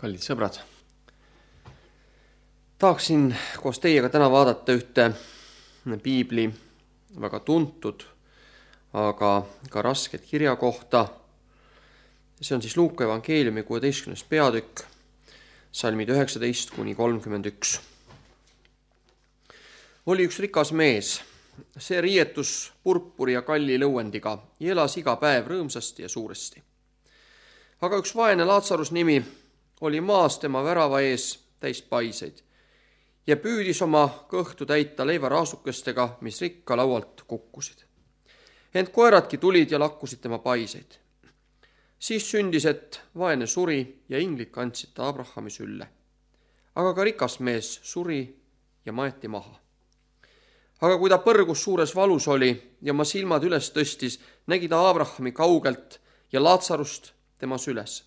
Kallid sõbrad, tahaksin koos teiega täna vaadata ühte piibli väga tuntud, aga ka rasket kirja kohta. See on siis Luuka evangeeliumi 16. peatükk, salmid 19–31. Oli üks rikas mees, see riietus purpuri ja kalli lõuendiga ja elas iga päev rõõmsasti ja suuresti. Aga üks vaene Laatsarus nimi oli maas tema värava ees täis paiseid ja püüdis oma kõhtu täita leivaraasukestega, mis rikka laualt kukkusid. Ent koeradki tulid ja lakkusid tema paiseid. Siis sündis, et vaene suri ja inglid kandsid ta Abrahami sülle. Aga ka rikas mees suri ja maeti maha. Aga kui ta põrgus suures valus oli ja oma silmad üles tõstis, nägi ta Abrahami kaugelt ja Laatsarust tema süles.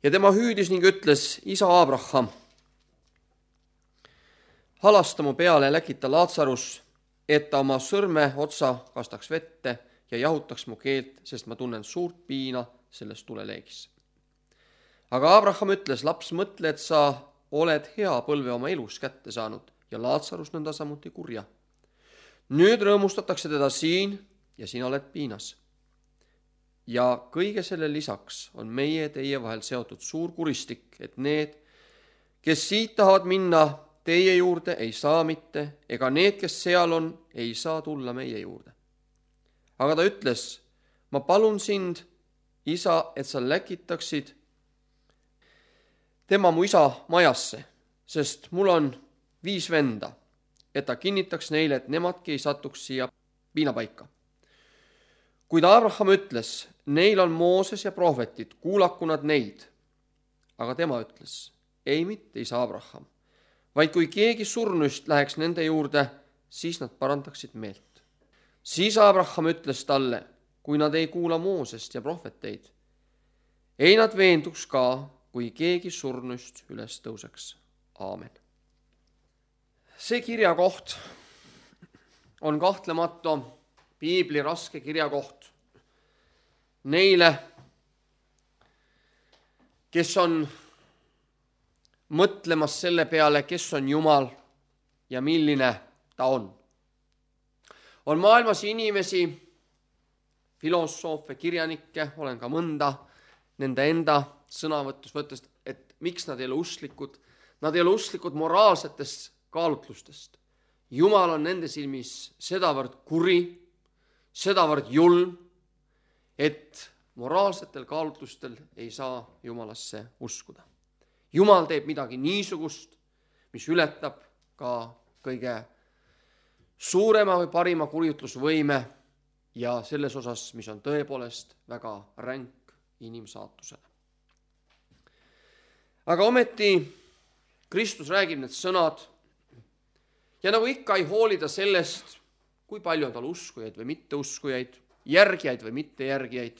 Ja tema hüüdis ning ütles: Isa Abraham, halasta mu peale ja läkita Laatsarus, et ta oma sõrme otsa kastaks vette ja jahutaks mu keelt, sest ma tunnen suurt piina selles tuleleegis. Aga Abraham ütles: laps, mõtle, et sa oled hea põlve oma elus kätte saanud ja Laatsarus nõnda samuti kurja. Nüüd rõõmustatakse teda siin ja sina oled piinas. Ja kõige selle lisaks on meie teie vahel seotud suur kuristik, et need, kes siit tahavad minna teie juurde, ei saa mitte, ega need, kes seal on, ei saa tulla meie juurde. Aga ta ütles: ma palun sind, isa, et sa läkitaksid tema mu isa majasse, sest mul on 5 venda, et ta kinnitaks neile, et nemadki ei satuks siia piinapaika. Kuid Abraham ütles: neil on Mooses ja prohvetid, kuulaku nad neid. Aga tema ütles: ei mitte, isa Abraham, vaid kui keegi surnuist läheks nende juurde, siis nad parandaksid meelt. Siis Abraham ütles talle: kui nad ei kuula Moosest ja prohveteid, ei nad veenduks ka, kui keegi surnuist üles tõuseks. Aamen. See kirjakoht on kahtlemata piibli raske kirjakoht neile, kes on mõtlemas selle peale, kes on Jumal ja milline ta on. On maailmas inimesi, filosoofe, kirjanikke, olen ka mõnda nende enda sõnavõtus võttes, et miks nad ei ole usklikud. Nad ei ole usklikud moraalsetest kaalutlustest. Jumal on nende silmis sedavõrd kuri, sedavõrd julm, et moraalsetel kaalutlustel ei saa Jumalasse uskuda. Jumal teeb midagi niisugust, mis ületab ka kõige suurema või parima kurjutlusvõime ja selles osas, mis on tõepoolest väga ränk inimsaatusele. Aga ometi Kristus räägib need sõnad ja nagu ikka ei hoolida sellest, kui palju on tal uskujaid või mitteuskujaid, järgijaid või mittejärgijaid.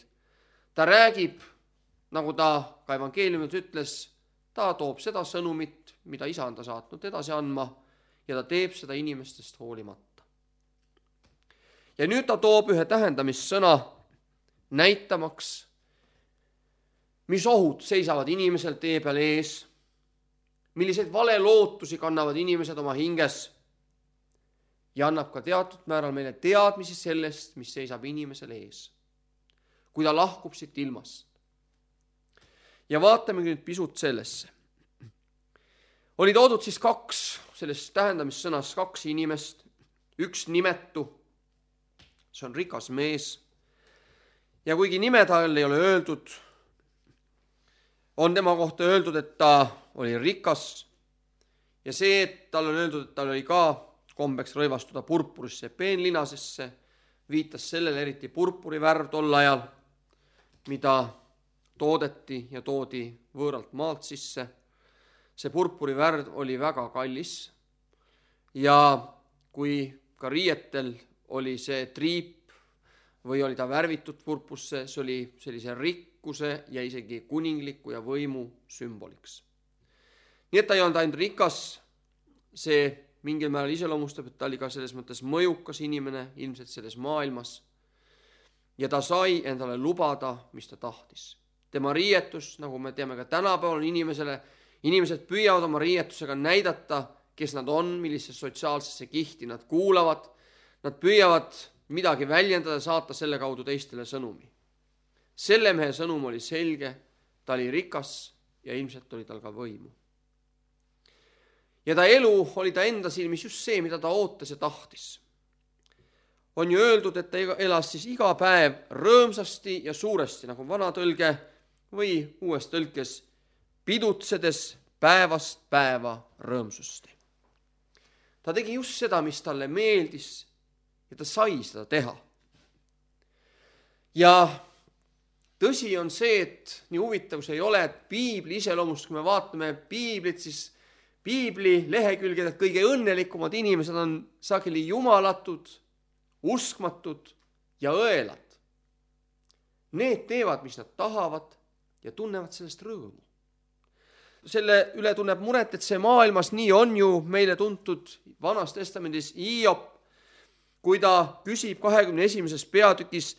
Ta räägib, nagu ta ka evangeeliumis ütles, ta toob seda sõnumit, mida isa on ta saatnud edasi andma ja ta teeb seda inimestest hoolimata. Ja nüüd ta toob ühe tähendamissõna näitamaks, mis ohud seisavad inimesel tee peal ees, milliseid valelootusi kannavad inimesed oma hinges ja annab ka teatud määral meile teadmisi sellest, mis seisab inimesel ees, kui ta lahkub siit ilmast. Ja vaatame nüüd pisut sellesse. Oli toodud siis 2, sellest tähendamissõnas 2 inimest, üks nimetu, see on rikas mees, ja kuigi nime tal ei ole öeldud, on tema kohta öeldud, et ta oli rikas ja see, et tal on öeldud, et tal oli ka kombeks rõivastuda purpurisse ja peenlinasesse, viitas sellele eriti purpurivärv tol ajal, mida toodeti ja toodi võõralt maalt sisse. See purpurivärv oli väga kallis ja kui ka riietel oli see triip või oli ta värvitud purpusse, see oli sellise rikkuse ja isegi kuningliku ja võimu sümboliks. Nii et ta ei olnud ainult rikas, see mingil määral iseloomustab, et ta oli ka selles mõttes mõjukas inimene ilmselt selles maailmas ja ta sai endale lubada, mis ta tahtis. tema riietus, nagu me teame ka tänapäeval inimesed püüavad oma riietusega näidata, kes nad on, millisesse sotsiaalsesse kihti nad kuulavad. Nad püüavad midagi väljendada, saata selle kaudu teistele sõnumi. Selle mehe sõnum oli selge, ta oli rikas ja ilmselt oli tal ka võimu. Ja ta elu oli ta enda silmis just see, mida ta ootas ja tahtis. On ju öeldud, et ta elas siis iga päev rõõmsasti ja suuresti, nagu vana tõlge või uues tõlkes, pidutsedes päevast päeva rõõmsusti. Ta tegi just seda, mis talle meeldis ja ta sai seda teha. Ja tõsi on see, et nii huvitav see ei ole, et piibli iseloomust, kui me vaatame piiblit, siis piibli lehekülgedelt kõige õnnelikumad inimesed on sageli jumalatud, uskmatud ja õelad. Need teevad, mis nad tahavad ja tunnevad sellest rõõmu. Selle üle tunneb muret, et see maailmas nii on ju meile tuntud Vanas Testamendis Hiop, kui ta küsib 21. peatükis,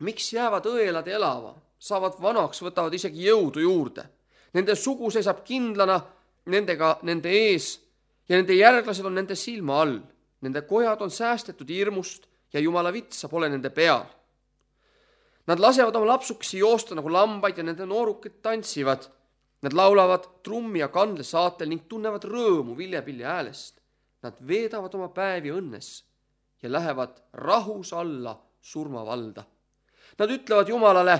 miks jäävad õelad elava, saavad vanaks, võtavad isegi jõudu juurde. Nende sugu seisab kindlana nendega nende ees ja nende järglased on nende silma all. Nende kojad on säästetud hirmust ja Jumala vitsa pole nende peal. Nad lasevad oma lapsukesi joosta nagu lambaid ja nende noorukid tantsivad. Nad laulavad trummi ja kandle saatel ning tunnevad rõõmu viljapilli häälest. Nad veedavad oma päevi õnnes ja lähevad rahus alla surmavalda. Nad ütlevad Jumalale,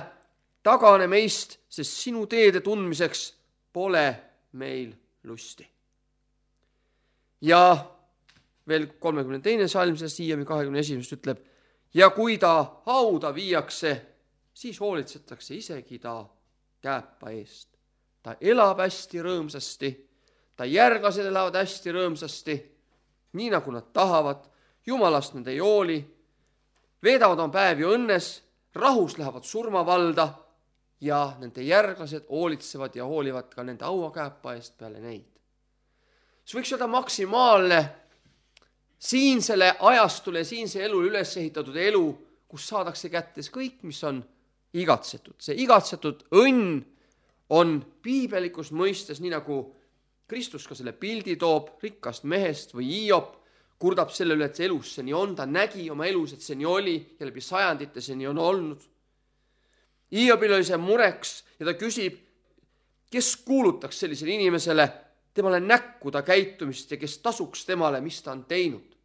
tagane meist, sest sinu teede tundmiseks pole meil lusti. Ja veel 32. salm sellest Hiiomi 21. ütleb, ja kui ta hauda viiakse, siis hoolitsetakse isegi ta kääpa eest. Ta elab hästi rõõmsasti, ta järglased elavad hästi rõõmsasti, nii nagu nad tahavad, Jumalast nad ei hooli, veedavad oma päevi õnnes, rahus lähevad surmavalda ja nende järglased hoolitsevad ja hoolivad ka nende hauakääpa eest peale neid. See võiks olla maksimaalne siinsele ajastule, siinse elule üles ehitatud elu, kus saadakse kätte kõik, mis on igatsetud. See igatsetud õnn on piibelikus mõistes, nii nagu Kristus ka selle pildi toob rikkast mehest või Hiop, kurdab selle üle, et see elus see nii on, ta nägi oma elus, et see nii oli ja läbi sajandite see nii on olnud. Hiobil oli see mureks ja ta küsib, kes kuulutaks sellisele inimesele temale näkku ta käitumist ja kes tasuks temale, mis ta on teinud.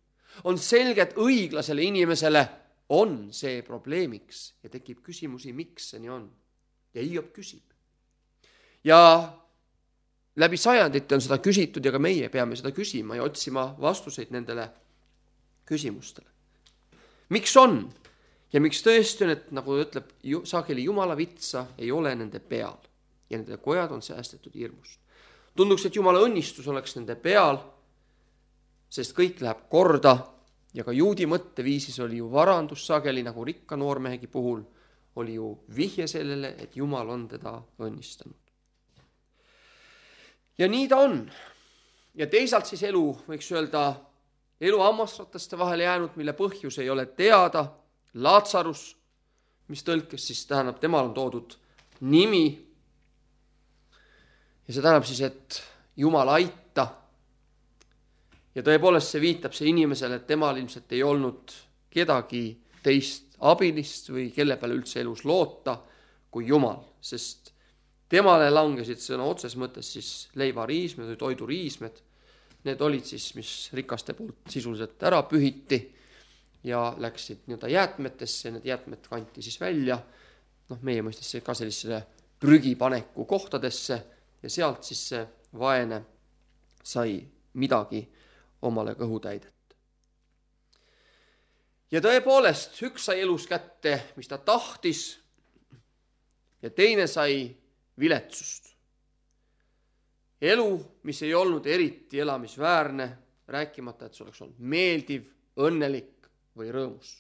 On selge, et õiglasele inimesele on see probleemiks ja tekib küsimusi, miks see nii on. Ja Hiop küsib. Ja läbi sajandite on seda küsitud ja ka meie peame seda küsima ja otsima vastuseid nendele küsimustele. Miks on? Ja miks tõesti on, et nagu ütleb sageli Jumala vitsa ei ole nende peal ja nende kojad on säästetud hirmust. Tunduks, et Jumala õnnistus oleks nende peal, sest kõik läheb korda ja ka juudi mõtteviisis oli ju varandus sageli, nagu rikka noormehegi puhul, oli ju vihje sellele, et Jumal on teda õnnistanud. Ja nii ta on. Ja teisalt siis elu, võiks öelda, elu hammasrataste vahele jäänud, mille põhjus ei ole teada, Laatsarus, mis tõlkes siis tähendab, temal on toodud nimi. Ja see tähendab siis, et Jumal aita. Ja tõepoolest see viitab see inimesele, et temal ilmselt ei olnud kedagi teist abilist või kelle peale üldse elus loota kui Jumal, sest temale langesid sõna otses mõttes siis leivariismed või toiduriismed. Need olid siis, mis rikaste poolt sisuliselt ära pühiti ja läksid nii-öelda jäätmetesse, need jäätmed kanti siis välja, meie mõistes ka sellisele prügipaneku kohtadesse ja sealt siis see vaene sai midagi omale kõhutäidet. Ja tõepoolest, üks sai elus kätte, mis ta tahtis ja teine sai viletsust. Elu, mis ei olnud eriti elamisväärne, rääkimata, et see oleks olnud meeldiv, õnnelik või rõõmus.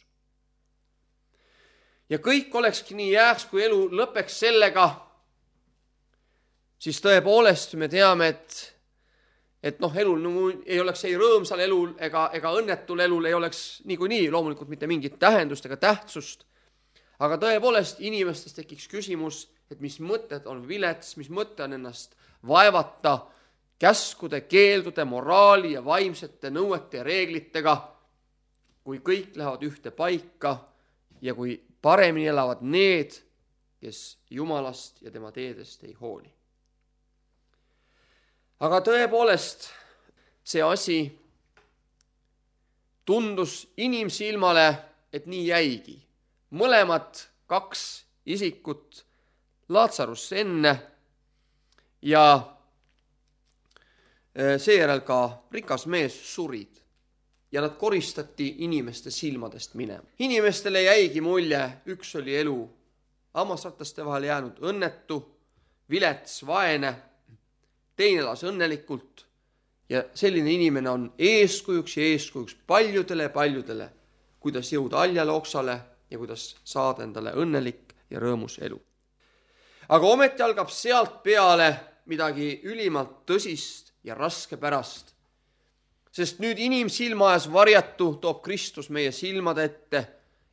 Ja kõik olekski nii jääks, kui elu lõpeks sellega, siis tõepoolest me teame, et elul ei oleks ei rõõmsal elul ega õnnetul elul ei oleks niikuinii loomulikult mitte mingit tähendust ega tähtsust. Aga tõepoolest inimestes tekiks küsimus, et mis mõtted on vilets, mis mõte on ennast vaevata käskude, keeldude, moraali ja vaimsete nõuete ja reeglitega, kui kõik lähevad ühte paika ja kui paremini elavad need, kes Jumalast ja tema teedest ei hooli. Aga tõepoolest, see asi tundus inimsilmale, et nii jäigi. Mõlemad 2 isikut Laatsarusse enne ja seejärel ka rikas mees surid ja nad koristati inimeste silmadest minema. Inimestele jäigi mulje, üks oli elu hammasrataste vahel jäänud õnnetu, vilets, vaene, teine elas õnnelikult ja selline inimene on eeskujuks paljudele, kuidas jõuda haljale oksale ja kuidas saada endale õnnelik ja rõõmus elu. Aga ometi algab sealt peale midagi ülimalt tõsist ja raskepärast, sest nüüd inimsilma ees varjatu toob Kristus meie silmade ette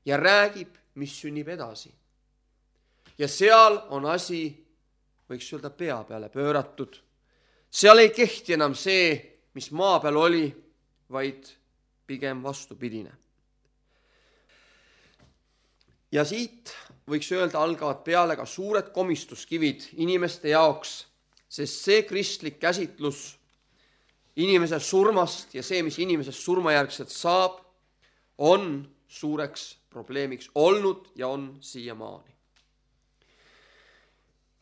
ja räägib, mis sünnib edasi. Ja seal on asi, võiks öelda, pea peale pööratud. Seal ei kehti enam see, mis maa peal oli, vaid pigem vastupidine. Ja siit võiks öelda, algavad peale ka suured komistuskivid inimeste jaoks, sest see kristlik käsitlus inimese surmast ja see, mis inimesest surmajärgselt saab, on suureks probleemiks olnud ja on siiamaani.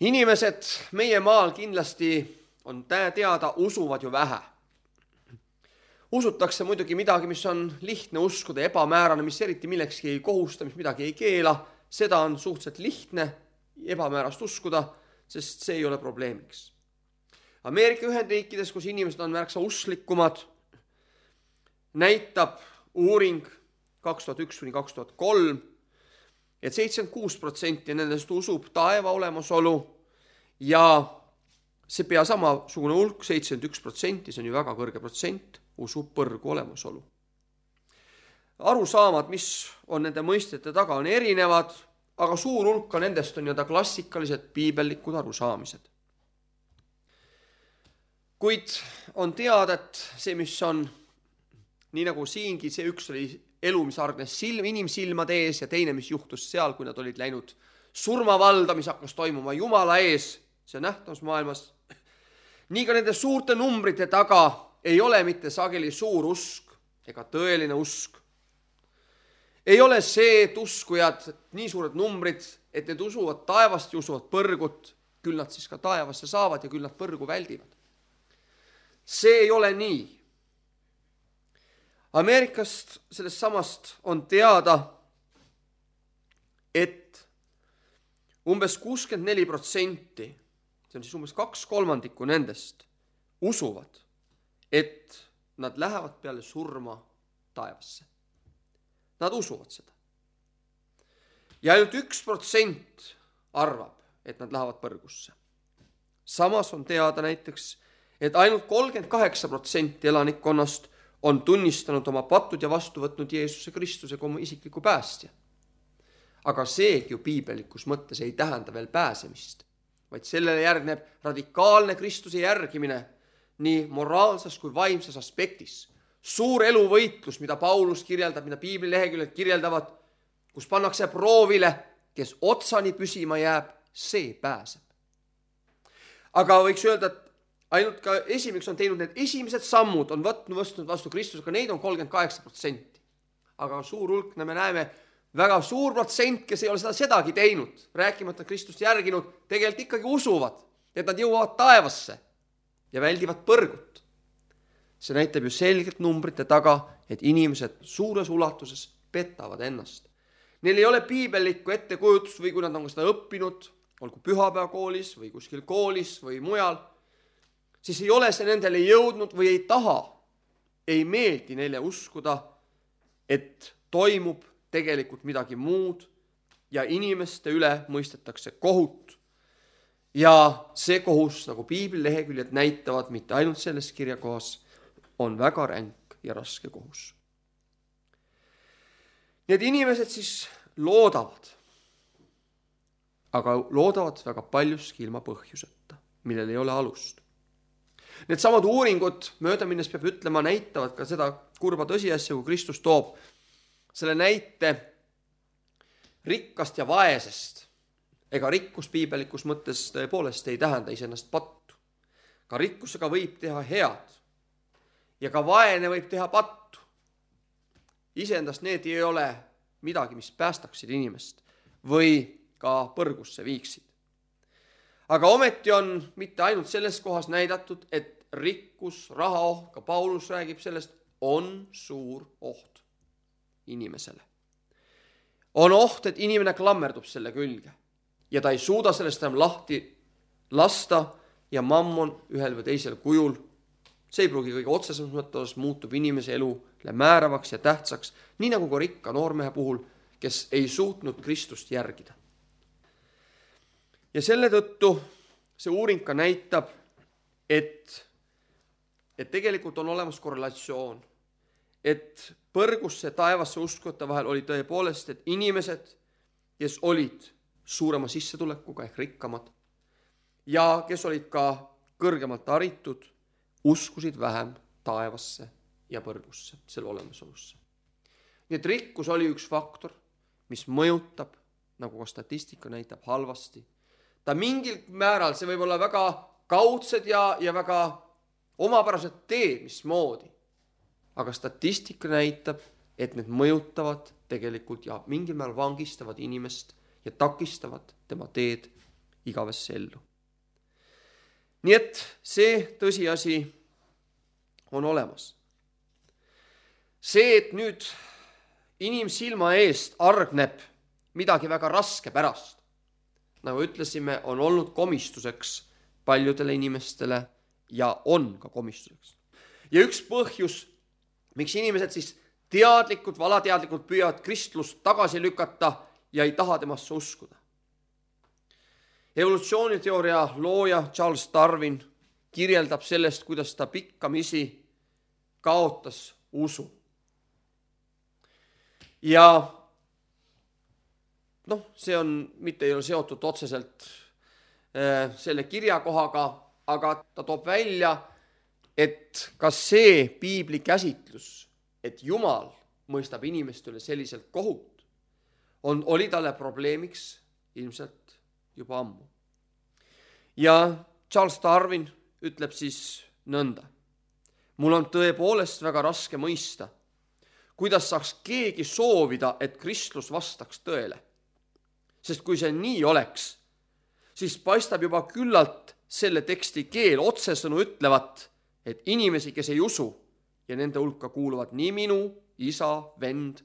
Inimesed meie maal kindlasti on teada, usuvad ju vähe. Usutakse muidugi midagi, mis on lihtne uskuda, ebamäärane, mis eriti millekski ei kohusta, mis midagi ei keela. Seda on suhteliselt lihtne ebamäärast uskuda, sest see ei ole probleemiks. Ameerika Ühendriikides, kus inimesed on märksa usklikumad, näitab uuring 2001–2003, et 76% nendest usub taeva olemasolu ja see pea samasugune hulk, 71%, see on ju väga kõrge protsent, usub põrgu olemasolu. Arusaamad, mis on nende mõistete taga, on erinevad, aga suur hulka nendest on klassikalised piibellikud arusaamised. Kuid on teada, et see, mis on, nii nagu siingi, see üks oli elu, mis hargnes inimsilmade ees ja teine, mis juhtus seal, kui nad olid läinud surmavalda, mis hakkas toimuma Jumala ees, see nähtavusmaailmas. Nii ka nende suurte numbrite taga ei ole mitte sageli suur usk ega tõeline usk. Ei ole see, et uskujad, nii suured numbrid, et need usuvad taevast ja usuvad põrgut, küll nad siis ka taevasse saavad ja küll nad põrgu väldivad. See ei ole nii. Ameerikast sellest samast on teada, et umbes 64%, see on siis umbes 2/3 nendest, usuvad, et nad lähevad peale surma taevasse. Nad usuvad seda. Ja ainult 1% arvab, et nad lähevad põrgusse. Samas on teada näiteks, et ainult 38% elanikkonnast on tunnistanud oma patud ja vastu võtnud Jeesuse Kristuse kui oma isikliku päästja. Aga seegi ju piibellikus mõttes ei tähenda veel pääsemist, vaid sellele järgneb radikaalne Kristuse järgimine nii moraalses kui vaimses aspektis. Suur eluvõitlus, mida Paulus kirjeldab, mida piibli leheküljed kirjeldavad, kus pannakse proovile, kes otsani püsima jääb, see pääseb. Aga võiks öelda, et ainult ka esimeseks on teinud need esimesed sammud, on võtnud vastu Kristusega, neid on 38%. Aga suur hulk, me näeme, väga suur protsent, kes ei ole sedagi teinud, rääkimata Kristust järginud, tegelikult ikkagi usuvad, et nad jõuavad taevasse ja väldivad põrgut. See näitab ju selgelt numbrite taga, et inimesed suures ulatuses petavad ennast. Neil ei ole piibellikku ettekujutust või kui nad on seda õppinud, olgu pühapäevakoolis või kuskil koolis või mujal, siis ei ole see nendele jõudnud või ei taha, ei meeldi neile uskuda, et toimub tegelikult midagi muud ja inimeste üle mõistetakse kohut. Ja see kohus, nagu piibli leheküljed näitavad, mitte ainult selles kirjakohas, on väga ränk ja raske kohus. Need inimesed siis loodavad, aga loodavad väga paljuski ilma põhjuseta, millel ei ole alust. Need samad uuringud, mööda minnes peab ütlema, näitavad ka seda kurba tõsiasja, kui Kristus toob selle näite rikkast ja vaesest. Ega rikkus piibelikus mõttes tõepoolest ei tähenda iseennast pattu. Ka rikkusega võib teha head ja ka vaene võib teha pattu. Iseendast need ei ole midagi, mis päästaksid inimest või ka põrgusse viiksid. Aga ometi on mitte ainult selles kohas näidatud, et rikkus, rahaoht, ka Paulus räägib sellest, on suur oht inimesele. On oht, et inimene klammerdub selle külge ja ta ei suuda sellest enam lahti lasta ja mammon ühel või teisel kujul, see ei pruugi kõige otsesemas mõttes, muutub inimese elule määravaks ja tähtsaks, nii nagu ka rikka noormehe puhul, kes ei suutnud Kristust järgida. Ja selle tõttu see uuring ka näitab, et tegelikult on olemas korrelatsioon, et põrgusse taevasse uskujate vahel oli tõepoolest, et inimesed, kes olid suurema sissetulekuga ehk rikkamad ja kes olid ka kõrgemalt haritud, uskusid vähem taevasse ja põrgusse, selle olemasolusse. Nii et rikkus oli üks faktor, mis mõjutab, nagu ka statistika näitab, halvasti. Ta mingil määral, see võib olla väga kaudsed ja väga omapärased teed, mismoodi. Aga statistika näitab, et need mõjutavad tegelikult ja mingil määral vangistavad inimest ja takistavad tema teed igavesse ellu. Nii et see tõsiasi on olemas. See, et nüüd inimsilma eest argneb midagi väga raske pärast, nagu ütlesime, on olnud komistuseks paljudele inimestele ja on ka komistuseks. Ja üks põhjus, miks inimesed siis teadlikult või alateadlikult püüavad kristlust tagasi lükata ja ei taha temasse uskuda. Evolutsiooniteooria looja Charles Darwin kirjeldab sellest, kuidas ta pikkamisi kaotas usu. Ja see on, mitte ei ole seotud otseselt selle kirjakohaga, aga ta toob välja, et kas see piibli käsitlus, et Jumal mõistab inimeste üle selliselt kohut, oli talle probleemiks ilmselt juba ammu. Ja Charles Darwin ütleb siis nõnda. Mul on tõepoolest väga raske mõista, kuidas saaks keegi soovida, et kristlus vastaks tõele. Sest kui see nii oleks, siis paistab juba küllalt selle teksti keel otsesõnu ütlevat, et inimesi, kes ei usu ja nende hulka kuuluvad nii minu, isa, vend,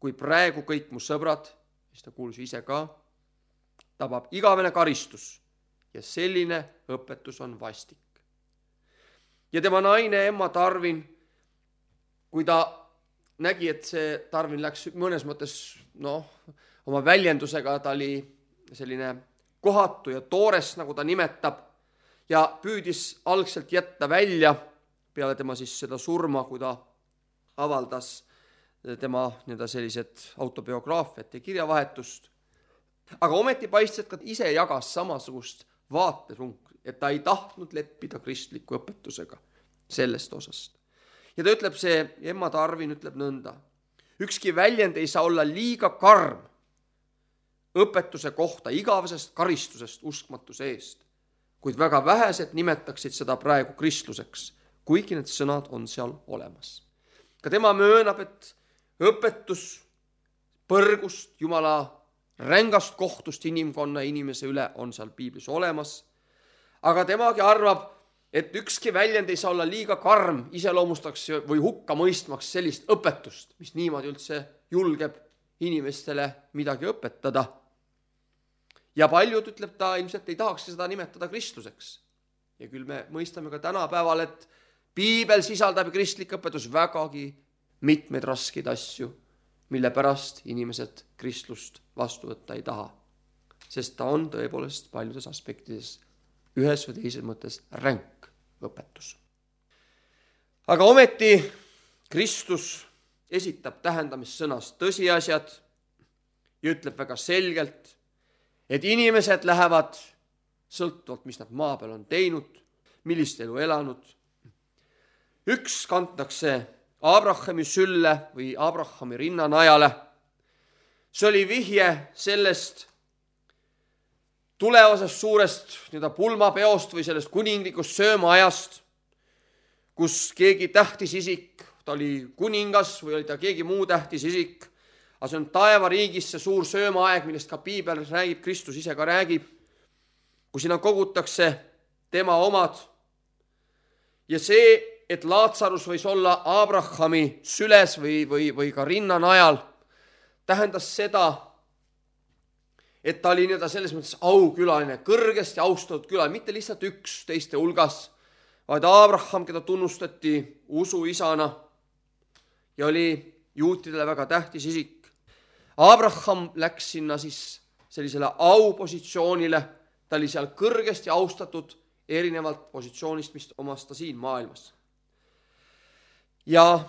kui praegu kõik mu sõbrad, mis ta kuulus ise ka, tabab igavene karistus ja selline õpetus on vastik. Ja tema naine Emma Darwin, kui ta nägi, et see Darwin läks mõnes mõttes, oma väljendusega, ta oli selline kohatu ja toores, nagu ta nimetab, ja püüdis algselt jätta välja peale tema siis seda surma, kui ta avaldas tema sellised autobiograafiat ja kirjavahetust. Aga ometi paistis, et ka ise jagas samasugust vaatepunkt, et ta ei tahtnud leppida kristliku õpetusega sellest osast. Ja ta ütleb, see Emma Darwin ütleb nõnda. Ükski väljend ei saa olla liiga karm õpetuse kohta igavesest karistusest uskmatuse eest, kuid väga vähesed nimetaksid seda praegu kristluseks, kuigi need sõnad on seal olemas. Ka tema möönab, et õpetus põrgust, Jumala rängast kohtust inimkonna inimese üle on seal piiblis olemas, aga temagi arvab, et ükski väljend ei saa olla liiga karm iseloomustaks või hukka mõistmaks sellist õpetust, mis niimoodi üldse julgeb inimestele midagi õpetada. Ja paljud, ütleb ta, ilmselt ei tahaks seda nimetada kristluseks. Ja küll me mõistame ka tänapäeval, et piibel sisaldab kristlik õpetus vägagi mitmeid raskeid asju, mille pärast inimesed kristlust vastu võtta ei taha. Sest ta on tõepoolest paljudes aspektides ühes või teises mõttes ränk õpetus. Aga ometi Kristus esitab tähendamissõnas tõsiasjad ja ütleb väga selgelt, et inimesed lähevad sõltuvalt, mis nad maa peal on teinud, millist elu elanud. Üks kantakse Abrahami sülle või Abrahami rinnanajale. See oli vihje sellest tulevasest suurest pulmapeost või sellest kuninglikust söömaajast, kus keegi tähtis isik, ta oli kuningas või oli ta keegi muu tähtis isik, aga see on taevariigis see suur söömaaeg, millest ka piibel räägib, Kristus ise ka räägib, kus sinna kogutakse tema omad. Ja see, et Laatsarus võis olla Abrahami süles või ka rinnanajal, tähendas seda, et ta oli selles mõttes aukülaline, kõrgesti austatud külaline, mitte lihtsalt üks teiste hulgas, vaid Abraham, keda tunnustati usuisana ja oli juutidele väga tähtis isik. Abraham läks sinna siis sellisele aupositsioonile, ta oli seal kõrgesti austatud erinevalt positsioonist, mis omas ta siin maailmas. Ja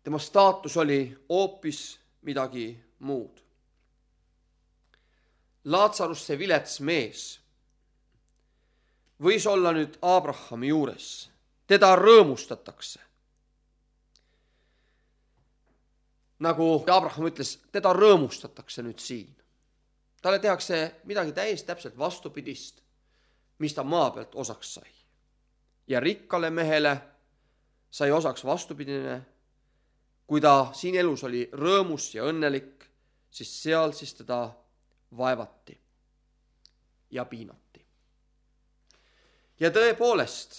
tema staatus oli hoopis midagi muud. Laatsarus, see vilets mees, võis olla nüüd Abrahami juures. Teda rõõmustatakse. Nagu Abraham ütles, teda rõõmustatakse nüüd siin. Talle tehakse midagi täiesti täpselt vastupidist, mis ta maa pealt osaks sai. Ja rikkale mehele sai osaks vastupidine, kui ta siin elus oli rõõmus ja õnnelik, siis seal siis teda vaevati ja piinati. Ja tõepoolest,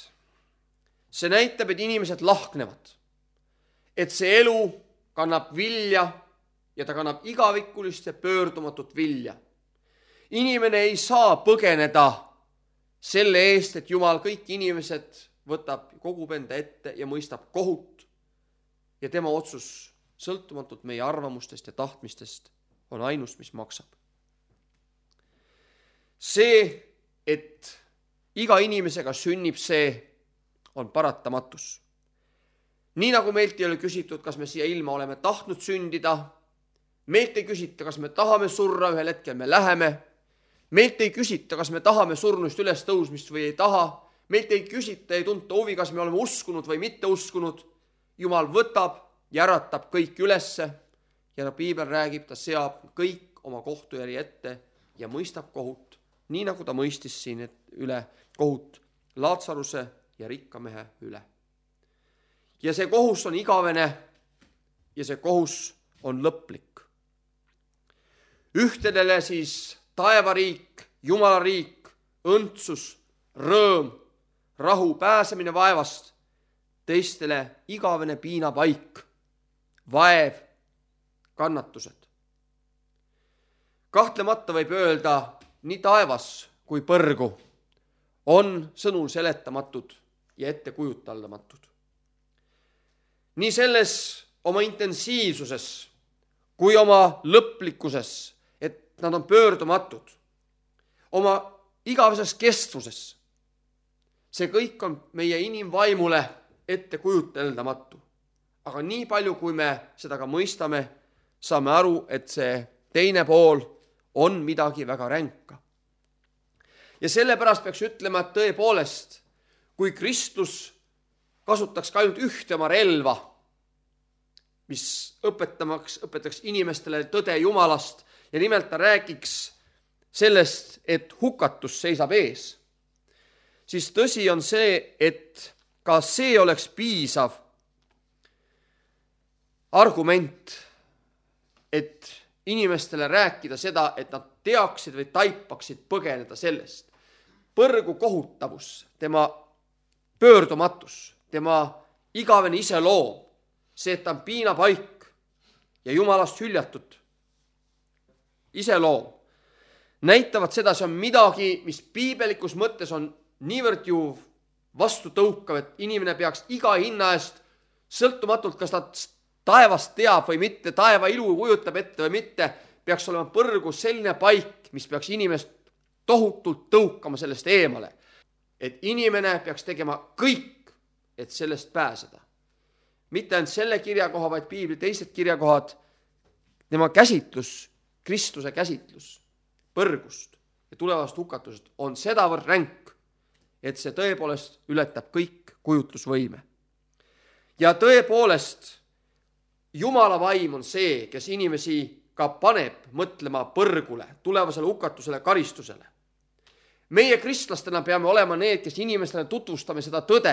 see näitab, et inimesed lahknevad, et see elu kannab vilja ja ta kannab igavikulist ja pöördumatut vilja. Inimene ei saa põgeneda selle eest, et Jumal kõik inimesed võtab, kogub enda ette ja mõistab kohut ja tema otsus sõltumatult meie arvamustest ja tahtmistest on ainus, mis maksab. See, et iga inimesega sünnib, see on paratamatus. Nii nagu meilt ei ole küsitud, kas me siia ilma oleme tahtnud sündida, meilt ei küsita, kas me tahame surra, ühel hetkel me läheme, meilt ei küsita, kas me tahame surnuist üles tõusmist või ei taha, meilt ei küsita, ei tunta huvi, kas me oleme uskunud või mitte uskunud. Jumal võtab ja äratab kõik ülesse ja piibel räägib, ta seab kõik oma kohtujärgi ette ja mõistab kohut, nii nagu ta mõistis siin üle kohut Laatsaruse ja rikka mehe üle. Ja see kohus on igavene ja see kohus on lõplik. Ühtedele siis taevariik, jumalariik, õndsus, rõõm, rahu, pääsemine vaevast, teistele igavene piinapaik, vaev, kannatused. Kahtlemata võib öelda, nii taevas kui põrgu on sõnul seletamatud ja ettekujutaldamatud. Nii selles oma intensiivsuses kui oma lõplikkuses, et nad on pöördumatud, oma igaveses kestvuses. See kõik on meie inimvaimule ettekujuteldamatu. Aga nii palju, kui me seda ka mõistame, saame aru, et see teine pool on midagi väga ränka. Ja sellepärast peaks ütlema, et tõepoolest, kui Kristus kasutaks ka ainult ühte oma relva, mis õpetaks inimestele tõde Jumalast ja nimelt ta räägiks sellest, et hukatus seisab ees, siis tõsi on see, et ka see oleks piisav argument, et inimestele rääkida seda, et nad teaksid või taipaksid põgeneda sellest. Põrgu kohutavus, tema pöördumatus, tema igavene iseloom, see, et ta on piinapaik ja Jumalast hüljatud iseloom, näitavad seda, see on midagi, mis piibelikus mõttes on niivõrd ju vastutõukav, et inimene peaks iga hinna eest, sõltumatult, kas ta taevast teab või mitte, taeva ilu kujutab ette või mitte, peaks olema põrgu selline paik, mis peaks inimest tohutult tõukama sellest eemale. Et inimene peaks tegema kõik, et sellest pääseda. Mitte ainult selle kirjakoha, vaid piibli teised kirjakohad, tema käsitlus, Kristuse käsitlus põrgust ja tulevast hukatusest on sedavõrd ränk, et see tõepoolest ületab kõik kujutlusvõime. Ja tõepoolest, Jumala vaim on see, kes inimesi ka paneb mõtlema põrgule, tulevasele hukatusele, karistusele. Meie kristlastena peame olema need, kes inimestele tutvustame seda tõde,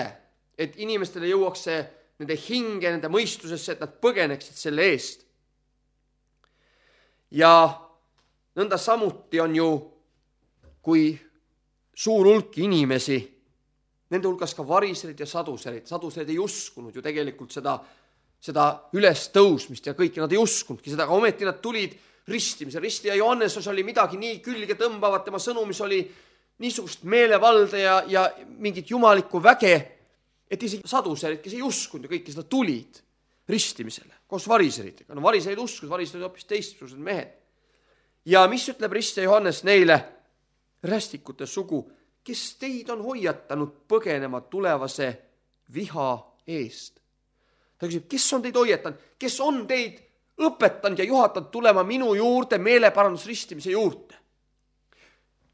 et inimestele jõuaks see nende hinge, nende mõistusesse, et nad põgeneksid selle eest. Ja nõnda samuti on ju, kui suur hulk inimesi, nende hulgas ka variserid ja saduserid ei uskunud ju tegelikult seda ülestõusmist ja kõike nad ei uskunudki seda, aga ometi nad tulid ristimise. Ristija Johannes oli midagi nii külge tõmbavat, tema sõnumis oli niisugust meelevalde ja mingit jumalikku väge, et isegi saduserid, kes ei uskunud ja kõik seda tulid ristimisele koos variseritega. No variserid uskusid, variserid hoopis teistsugused mehed. Ja mis ütleb ristija Johannes neile? Rästikute sugu, kes teid on hoiatanud põgenema tulevase viha eest. Ta küsib, kes on teid hoiatanud, kes on teid õpetanud ja juhatanud tulema minu juurde meeleparandusristimise juurde.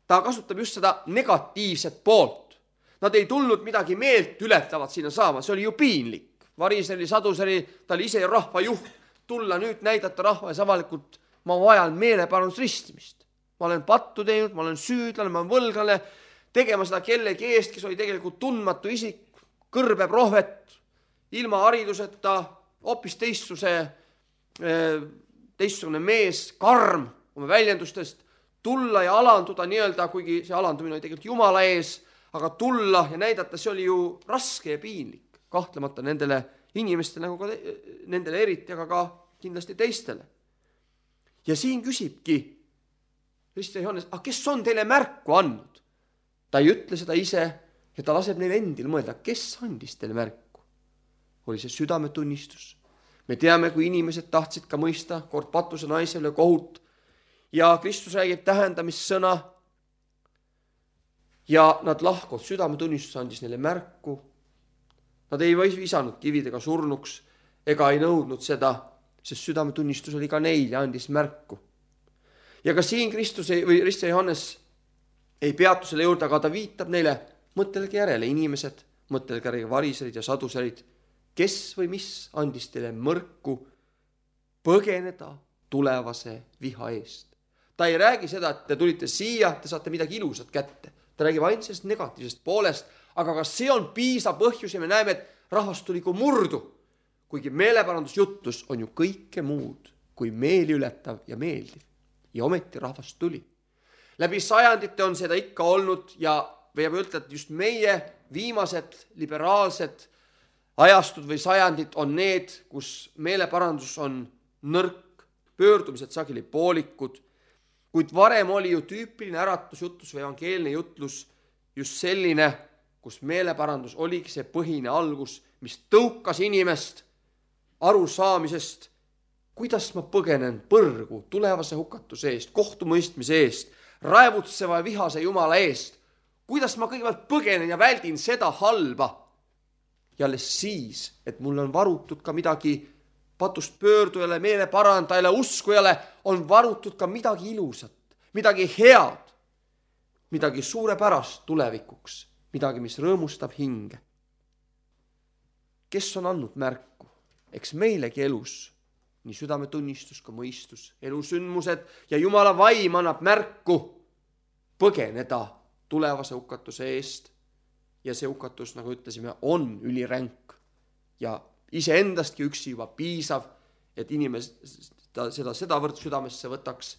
Ta kasutab just seda negatiivset poolt. Nad ei tulnud midagi meelt ületavat sinna saama, see oli ju piinlik. Variseri, saduseri, ta oli ise rahva juht, tulla nüüd näidata rahva ees avalikult, ma vajan meeleparandusristimist. Ma olen pattu teinud, ma olen süüdlane, ma olen võlgane, tegema seda kellegi eest, kes oli tegelikult tundmatu isik, kõrbe prohvet, ilma hariduseta, hoopis teistsugune mees, karm oma väljendustest, tulla ja alanduda nii-öelda, kuigi see alandumine oli tegelikult Jumala ees, aga tulla ja näidata, see oli ju raske ja piinlik, kahtlemata nendele inimestele, nagu ka nendele eriti, aga ka kindlasti teistele. Ja siin küsibki ristija Johannes, kes on teile märku andnud? Ta ei ütle seda ise ja ta laseb neil endil mõelda, kes andis teile märku? Oli see südametunnistus. Me teame, kui inimesed tahtsid ka mõista kord patuse naisele kohut ja Kristus räägib tähendamissõna ja nad lahkuvad, südametunnistus andis neile märku. Nad ei visanud kividega surnuks ega ei nõudnud seda, sest südametunnistus oli ka neil ja andis märku. Ja ka siin Kristus või ristija Johannes ei peatu selle juurde, aga ta viitab neile, mõtelge järele inimesed, mõtelge järele variserid ja saduserid, kes või mis andis teile mõrku põgeneda tulevase viha eest. Ta ei räägi seda, et te tulite siia, te saate midagi ilusat kätte. Ta räägib ainult sellest negatiivsest poolest, aga ka see on piisav põhjus ja me näeme, et rahvast tuli kui murdu. Kuigi meeleparandusjutlus on ju kõike muud kui meeli ületav ja meeldiv. Ja ometi rahvast tuli. Läbi sajandite on seda ikka olnud ja võib ütelda, et just meie viimased liberaalsed ajastud või sajandid on need, kus meeleparandus on nõrk, pöördumised sageli poolikud, kuid varem oli ju tüüpiline äratusjutlus või evangeelne jutlus just selline, kus meeleparandus oligi see põhine algus, mis tõukas inimest arusaamisest, kuidas ma põgenen põrgu tulevase hukatuse eest, kohtumõistmise eest, raevutseva ja vihase Jumala eest, kuidas ma kõigepealt põgenen ja väldin seda halba. Ja alles siis, et mul on varutud ka midagi patust pöördujale, meeleparandajale, uskujale, on varutud ka midagi ilusat, midagi head, midagi suurepärast tulevikuks, midagi, mis rõõmustab hinge. Kes on andnud märku? Eks meilegi elus, nii südametunnistus kui mõistus, elusündmused ja Jumala vaim annab märku põgeneda tulevase hukatuse eest. Ja see hukatus, nagu ütlesime, on üliränk ja iseendastki üksi juba piisav, et inimesed seda sedavõrd südamesse võtaks,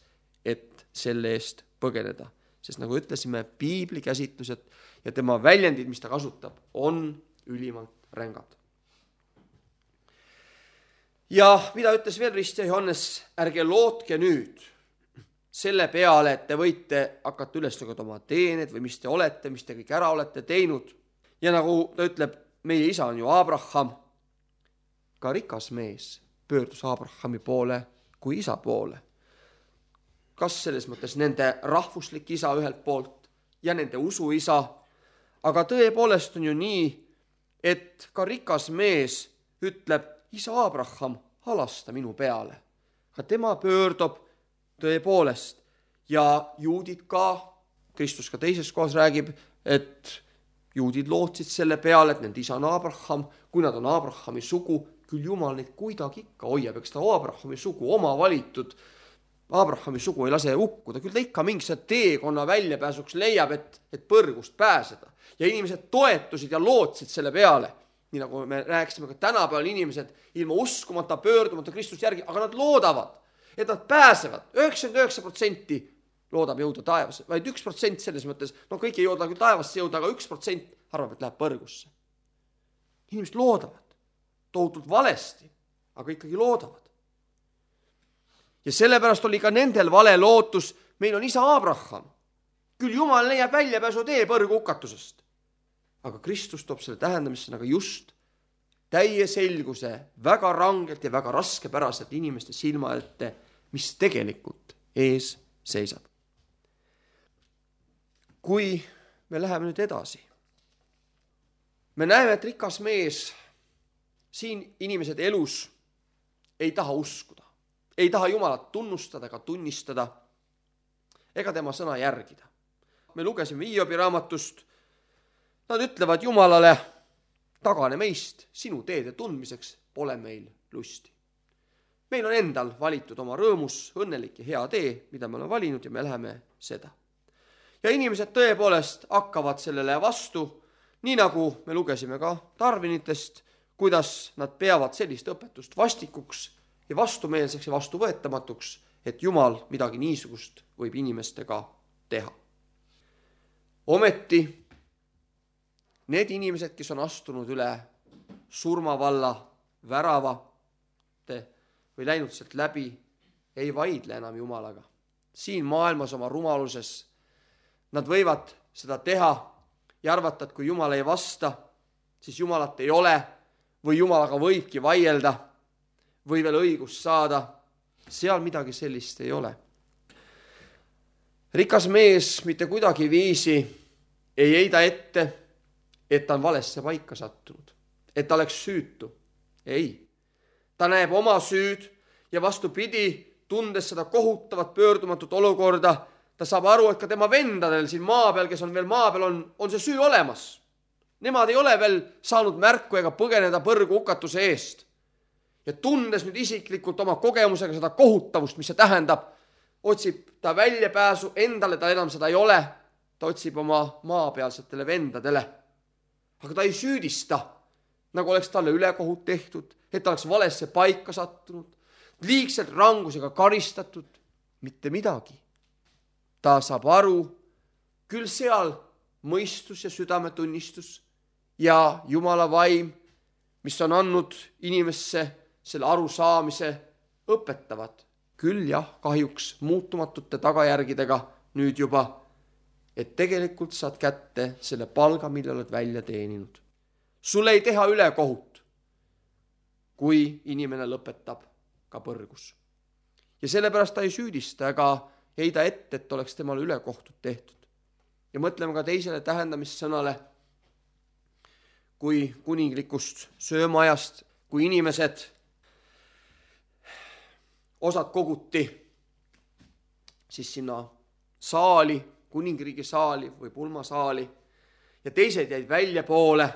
et selle eest põgeneda. Sest nagu ütlesime, piibli käsitlused ja tema väljendid, mis ta kasutab, on ülimalt rängad. Ja mida ütles veel ristija Johannes, ärge lootke nüüd selle peale, et te võite hakata üles lugeda oma teened või mis te olete, mis te kõik ära olete teinud. Ja nagu ta ütleb, meie isa on ju Abraham, ka rikas mees pöördus Abrahami poole kui isa poole. Kas selles mõttes nende rahvuslik isa ühelt poolt ja nende usu isa, aga tõepoolest on ju nii, et ka rikas mees ütleb, isa Abraham, halasta minu peale. Ka tema pöördub tõepoolest ja juudid ka, Kristus ka teises kohas räägib, et juudid lootsid selle peale, et nende isa on Abraham, kui nad on Abrahami sugu, küll Jumal neid kuidagi ikka hoiab, eks ta Abrahami sugu, oma valitud Abrahami sugu ei lase hukkuda, küll ta ikka mingi teekonna väljapääsuks leiab, et põrgust pääseda. Ja inimesed toetusid ja lootsid selle peale, nii nagu me rääkisime ka tänapäeval inimesed ilma uskumata, pöördumata Kristus järgi, aga nad loodavad, et nad pääsevad. 99% loodab jõuda taevasse, vaid 1% selles mõttes, kõik ei jõuda küll taevasse jõuda, aga 1% arvab, et läheb põrgusse. Inimesed loodavad, tohutult valesti, aga ikkagi loodavad. Ja sellepärast oli ka nendel vale lootus, meil on isa Abraham. Küll Jumal leiab väljapääsu tee põrgu hukatusest. Aga Kristus toob selle tähendamisse nagu just täie selguse väga rangelt ja väga raskepäraselt inimeste silma ette, mis tegelikult ees seisab. Kui me läheme nüüd edasi, me näeme, et rikas mees siin inimesed elus ei taha uskuda. Ei taha Jumalat tunnustada ega tunnistada ega tema sõna järgida. Me lugesime Hiobi raamatust, nad ütlevad Jumalale, tagane meist, sinu teede tundmiseks pole meil lusti. Meil on endal valitud oma rõõmus, õnnelik ja hea tee, mida me oleme valinud ja me läheme seda. Ja inimesed tõepoolest hakkavad sellele vastu, nii nagu me lugesime ka Tarvinitest, kuidas nad peavad sellist õpetust vastikuks ja vastumeelseks ja vastuvõetamatuks, et Jumal midagi niisugust võib inimestega teha. Ometi need inimesed, kes on astunud üle surmavalla väravate või läinud sealt läbi, ei vaidle enam Jumalaga. Siin maailmas oma rumaluses nad võivad seda teha ja arvata, et kui Jumal ei vasta, siis Jumalat ei ole või Jumalaga võibki vaielda või veel õigust saada, seal midagi sellist ei ole. Rikas mees mitte kuidagi viisi ei heida ette, et ta on valesse paika sattunud, et ta oleks süütu. Ei, ta näeb oma süüd ja vastupidi, tundes seda kohutavat pöördumatut olukorda, ta saab aru, et ka tema vendadel siin maa peal, kes on veel maa peal, on see süü olemas. Nemad ei ole veel saanud märku ega põgeneda põrgu hukatuse eest. Ja tundes nüüd isiklikult oma kogemusega seda kohutavust, mis see tähendab, otsib ta väljapääsu, endale ta enam seda ei ole, ta otsib oma maapealsetele vendadele. Aga ta ei süüdista, nagu oleks talle ülekohut tehtud, et ta oleks valesse paika sattunud, liigselt rangusega karistatud, mitte midagi. Ta saab aru, küll seal mõistus ja südametunnistus ja Jumala vaim, mis on andnud inimesse selle arusaamise, õpetavad. Küll jah, kahjuks muutumatute tagajärgidega nüüd juba, et tegelikult saad kätte selle palga, mille oled välja teeninud. Sulle ei teha ülekohut, kui inimene lõpetab ka põrgus. Ja sellepärast ta ei süüdista ega heida ette, et oleks temale ülekohtud tehtud. Ja mõtleme ka teisele tähendamissõnale, kui kuninglikust söömaajast, kui inimesed osad koguti siis sinna saali, kuningriigi saali või pulmasaali ja teised jäid välja poole.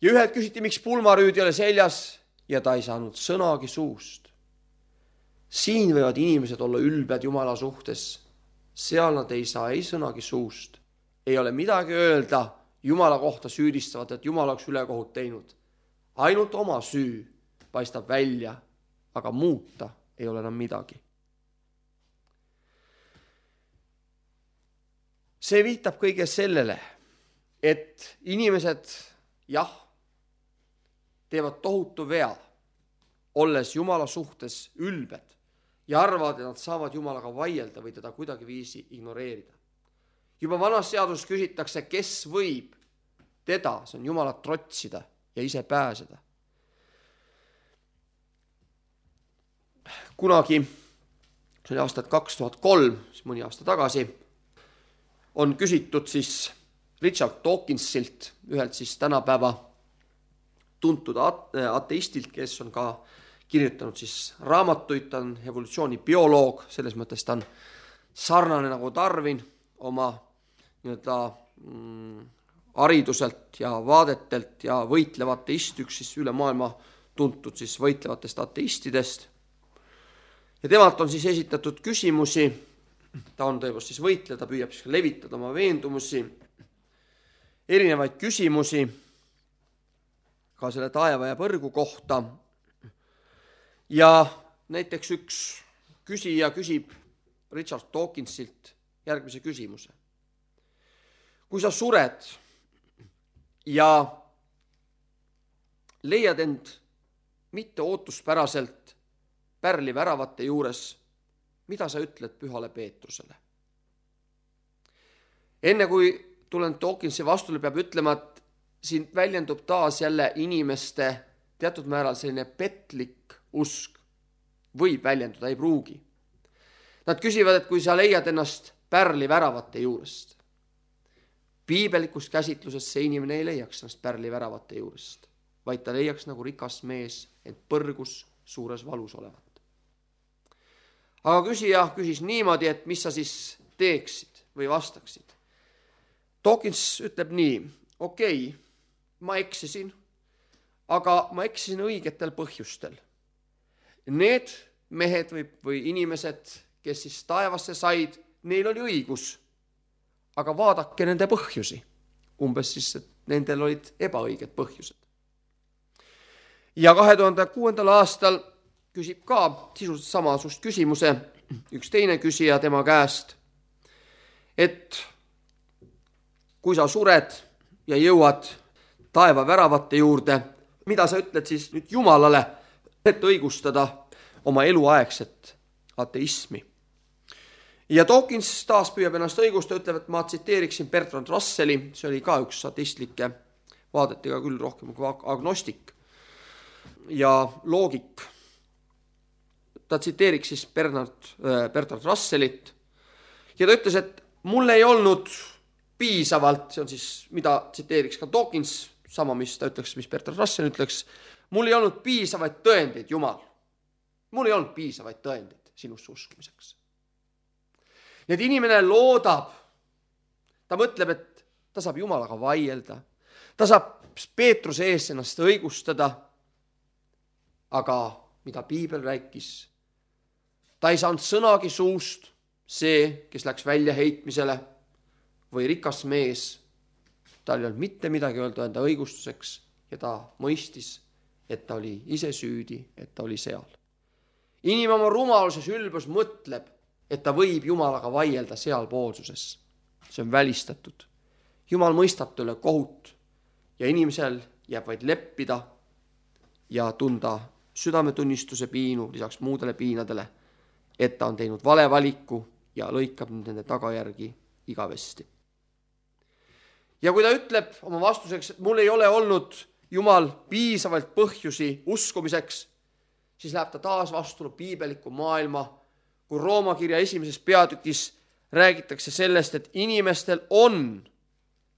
Ja ühed küsiti, miks pulmarüüd ei ole seljas ja ta ei saanud sõnagi suust. Siin võivad inimesed olla ülbed Jumala suhtes. Seal nad ei saa ei sõnagi suust. Ei ole midagi öelda Jumala kohta süüdistavat, et Jumal oleks ülekohut teinud. Ainult oma süü paistab välja, aga muuta ei ole enam midagi. See viitab kõige sellele, et inimesed, jah, teevad tohutu vea, olles Jumala suhtes ülbed ja arvavad, et nad saavad Jumalaga vaielda või teda kuidagi viisi ignoreerida. Juba vanas seaduses küsitakse, kes võib teda, see on Jumalat trotsida ja ise pääseda. Kunagi, see oli aastat 2003, siis mõni aasta tagasi, on küsitud siis Richard Dawkinsilt, ühelt siis tänapäeva tuntud ateistilt, kes on ka kirjutanud siis raamatuid, ta on evolutsioonibioloog, selles mõttes ta on sarnane nagu Darwin oma hariduselt ja vaadetelt ja võitlev ateist, üks siis üle maailma tuntud siis võitlevatest ateistidest. Ja temalt on siis esitatud küsimusi, ta on tõepoolest siis võitleja, ta püüab siis levitada oma veendumusi, erinevaid küsimusi ka selle taeva ja põrgu kohta. Ja näiteks üks küsija küsib Richard Dawkinsilt järgmise küsimuse. Kui sa sured ja leiad end mitte ootuspäraselt pärliväravate juures, mida sa ütled Pühale Peetrusele? Enne kui tulen Dawkinsi vastule, peab ütlema, et siin väljendub taas jälle inimeste teatud määral selline petlik usk. Võib väljenduda, ei pruugi. Nad küsivad, et kui sa leiad ennast pärliväravate juurest. Piibelikus käsitluses see inimene ei leiaks ennast pärliväravate juurest, vaid ta leiaks nagu rikas mees, et põrgus suures valus olevat. Aga küsija küsis niimoodi, et mis sa siis teeksid või vastaksid. Dawkins ütleb nii, okei, ma eksisin, aga ma eksisin õigetel põhjustel. Need mehed või inimesed, kes siis taevasse said, neil oli õigus, aga vaadake nende põhjusi. Umbes siis, et nendel olid ebaõiged põhjused. Ja 2006. aastal küsib ka sisuliselt samasugust küsimuse üks teine küsija tema käest, et kui sa sured ja jõuad taeva väravate juurde, mida sa ütled siis nüüd Jumalale, et õigustada oma eluaegset ateismi. Ja Dawkins taas püüab ennast õigustada, ütleb, et ma tsiteeriksin Bertrand Russelli, see oli ka üks ateistlike vaadetega küll rohkem kui agnostik ja loogik. Ta tsiteeriks siis Bertrand Russellit ja ta ütles, et mul ei olnud piisavalt, see on siis, mida tsiteeriks ka Dawkins, sama mis ta ütleks, mis Bertrand Russell ütleks, mul ei olnud piisavaid tõendeid, Jumal. Mul ei olnud piisavaid tõendeid sinusse uskumiseks. Nii et inimene loodab, ta mõtleb, et ta saab Jumalaga vaielda, ta saab Peetruse ees ennast õigustada, aga mida Piibel rääkis, ta ei saanud sõnagi suust, see, kes läks välja heitmisele või rikas mees, tal ei olnud mitte midagi öelda enda õigustuseks ja ta mõistis, et ta oli ise süüdi, et ta oli seal. Inimene oma rumaluses ülbus mõtleb, et ta võib Jumalaga vaielda sealpoolsuses. See on välistatud. Jumal mõistab talle kohut ja inimesel jääb vaid leppida ja tunda südametunnistuse piinu lisaks muudele piinadele, et ta on teinud vale valiku ja lõikab nende tagajärgi igavesti. Ja kui ta ütleb oma vastuseks, et mul ei ole olnud Jumal piisavalt põhjusi uskumiseks, siis läheb ta taas vastulu piibeliku maailma, kui Rooma kirja 1. peatükis räägitakse sellest, et inimestel on,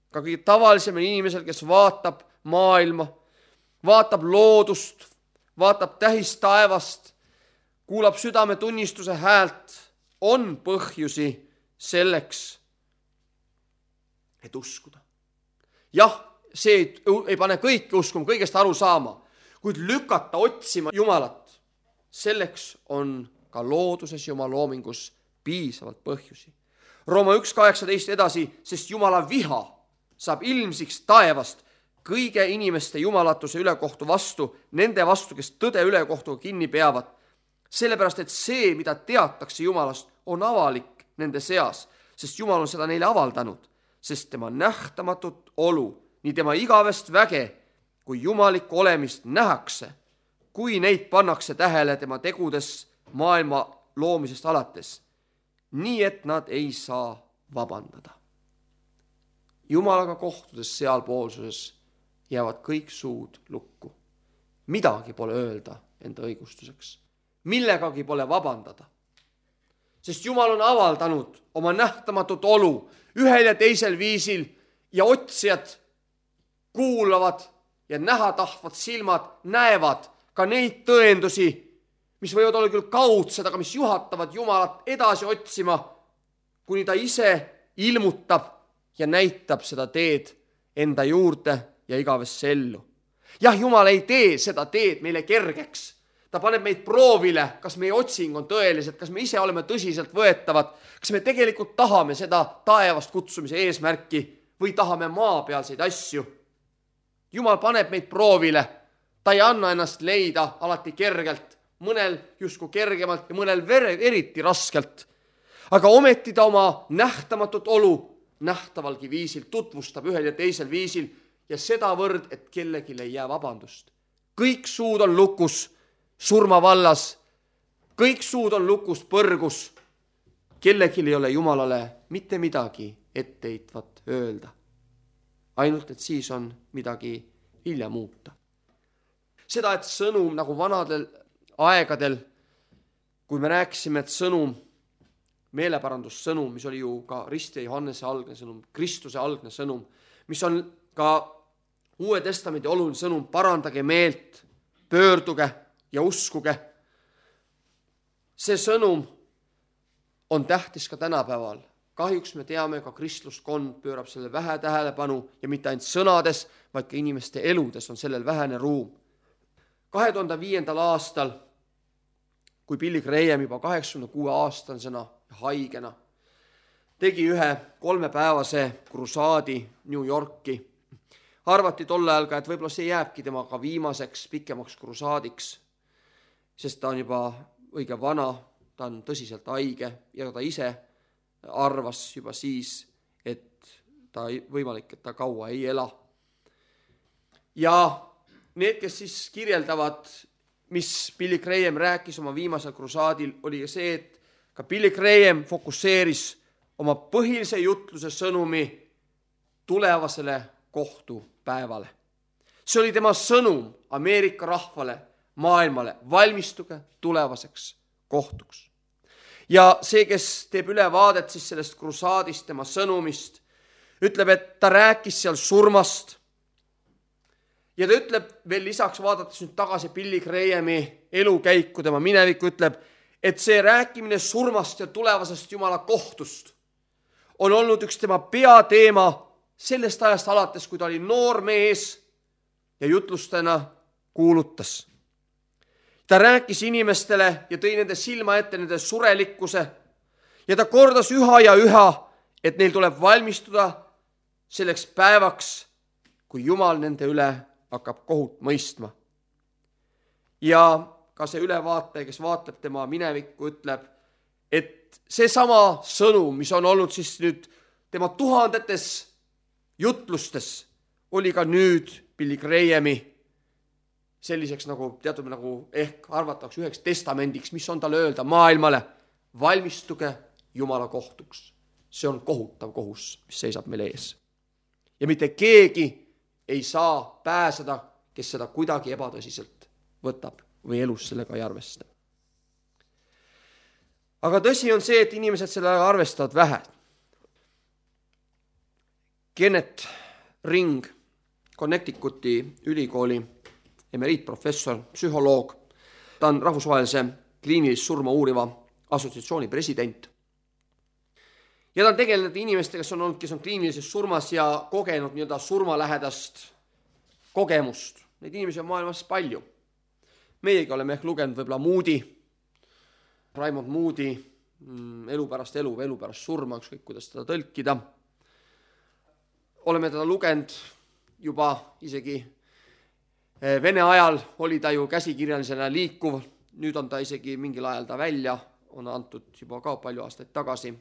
ka kõige tavalisemal inimesel, kes vaatab maailma, vaatab loodust, vaatab tähist taevast, kuulab südametunnistuse häält, on põhjusi selleks, et uskuda. Jah, see ei pane kõiki uskuma, kõigest aru saama, kuid lükata otsima Jumalat, selleks on ka looduses ja oma loomingus piisavalt põhjusi. Rooma 1.18 edasi, sest Jumala viha saab ilmsiks taevast kõige inimeste jumalatuse ülekohtu vastu, nende vastu, kes tõde ülekohtuga kinni peavad. Sellepärast, et see, mida teatakse Jumalast, on avalik nende seas, sest Jumal on seda neile avaldanud, sest tema nähtamatut olu, nii tema igavest väge kui jumalikku olemist nähakse, kui neid pannakse tähele tema tegudes maailma loomisest alates, nii et nad ei saa vabandada. Jumalaga kohtudes sealpoolsuses jäävad kõik suud lukku. Midagi pole öelda enda õigustuseks. Millegagi pole vabandada. Sest Jumal on avaldanud oma nähtamatut olu ühel ja teisel viisil ja otsijad kuulavad ja näha tahtvad silmad näevad ka neid tõendusi, mis võivad olla küll kaudsed, aga mis juhatavad Jumalat edasi otsima, kuni ta ise ilmutab ja näitab seda teed enda juurde ja igavesse ellu. Jah, Jumal ei tee seda teed meile kergeks. Ta paneb meid proovile, kas meie otsing on tõelised, kas me ise oleme tõsiselt võetavad, kas me tegelikult tahame seda taevast kutsumise eesmärki või tahame maapealseid asju. Jumal paneb meid proovile. Ta ei anna ennast leida alati kergelt, mõnel justkui kergemalt ja mõnel eriti raskelt. Aga ometi ta oma nähtamatut olu nähtavalgi viisil tutvustab ühel ja teisel viisil ja sedavõrd, et kellelgi ei jää vabandust. Kõik suud on lukus surma vallas, kõik suud on lukus põrgus. Kellelgi ei ole Jumalale mitte midagi etteheitvat öelda. Ainult, et siis on midagi hilja muuta. Seda, et sõnum nagu vanadel aegadel, kui me rääkisime, et sõnum, meeleparandussõnum, mis oli ju ka Risti ja Johannese algne sõnum, Kristuse algne sõnum, mis on ka Uue Testamendi oluline sõnum, parandage meelt, pöörduge ja uskuge. See sõnum on tähtis ka tänapäeval. Kahjuks me teame, ka kristluskond pöörab selle vähe tähelepanu ja mitte ainult sõnades, vaid ka inimeste eludes on sellel vähene ruum. 2005. aastal, kui Billy Graham juba 86-aastasena haigena tegi ühe 3-päevase krusaadi New Yorki, arvati tol ajal ka, et võib-olla see jääbki temaga viimaseks pikemaks krusaadiks, sest ta on juba õige vana, ta on tõsiselt haige ja ta ise arvas juba siis, et ta võimalik, et ta kaua ei ela. Ja need, kes siis kirjeldavad, mis Billy Graham rääkis oma viimasel krusaadil, oli see, et ka Billy Graham fokusseeris oma põhilise jutluse sõnumi tulevasele kohtupäevale. See oli tema sõnum Ameerika rahvale, maailmale, valmistuge tulevaseks kohtuks. Ja see, kes teeb ülevaadet siis sellest krusaadist, tema sõnumist, ütleb, et ta rääkis seal surmast. Ja ta ütleb veel lisaks, vaadates nüüd tagasi Billy Grahami elukäiku, tema minevikku, ütleb, et see rääkimine surmast ja tulevasest Jumala kohtust on olnud üks tema peateema sellest ajast alates, kui ta oli noor mees ja jutlustena kuulutas. Ta rääkis inimestele ja tõi nende silma ette nende surelikkuse ja ta kordas üha ja üha, et neil tuleb valmistuda selleks päevaks, kui Jumal nende üle hakkab kohut mõistma. Ja ka see ülevaataja, kes vaatleb tema minevikku, ütleb, et seesama sõnum, mis on olnud siis nüüd tema tuhandetes jutlustes, oli ka nüüd Billy Grahami selliseks nagu teatud nagu ehk arvatakse üheks testamendiks, mis on tal öelda maailmale, valmistuge Jumala kohtuks. See on kohutav kohus, mis seisab meil ees. Ja mitte keegi ei saa pääseda, kes seda kuidagi ebatõsiselt võtab või elus sellega ei arvesta. Aga tõsi on see, et inimesed sellega arvestavad vähe. Kenneth Ring, Connecticuti ülikooli emeriitprofessor, psühholoog, ta on rahvusvahelise kliinilist surma uuriva assotsiatsiooni president. Ja ta on tegelenud inimestega, kes on kliinilises surmas ja kogenud nii-öelda surmalähedast kogemust. Neid inimesi on maailmas palju. Meiegi oleme ehk lugenud võib-olla Moody, Raymond Moody, elu pärast elu või elu pärast surma, ükskõik kuidas teda tõlkida. Oleme teda lugenud juba isegi Vene ajal oli ta ju käsikirjalisena liikuv, nüüd on ta isegi mingil ajal ta välja, on antud juba ka palju aastaid tagasi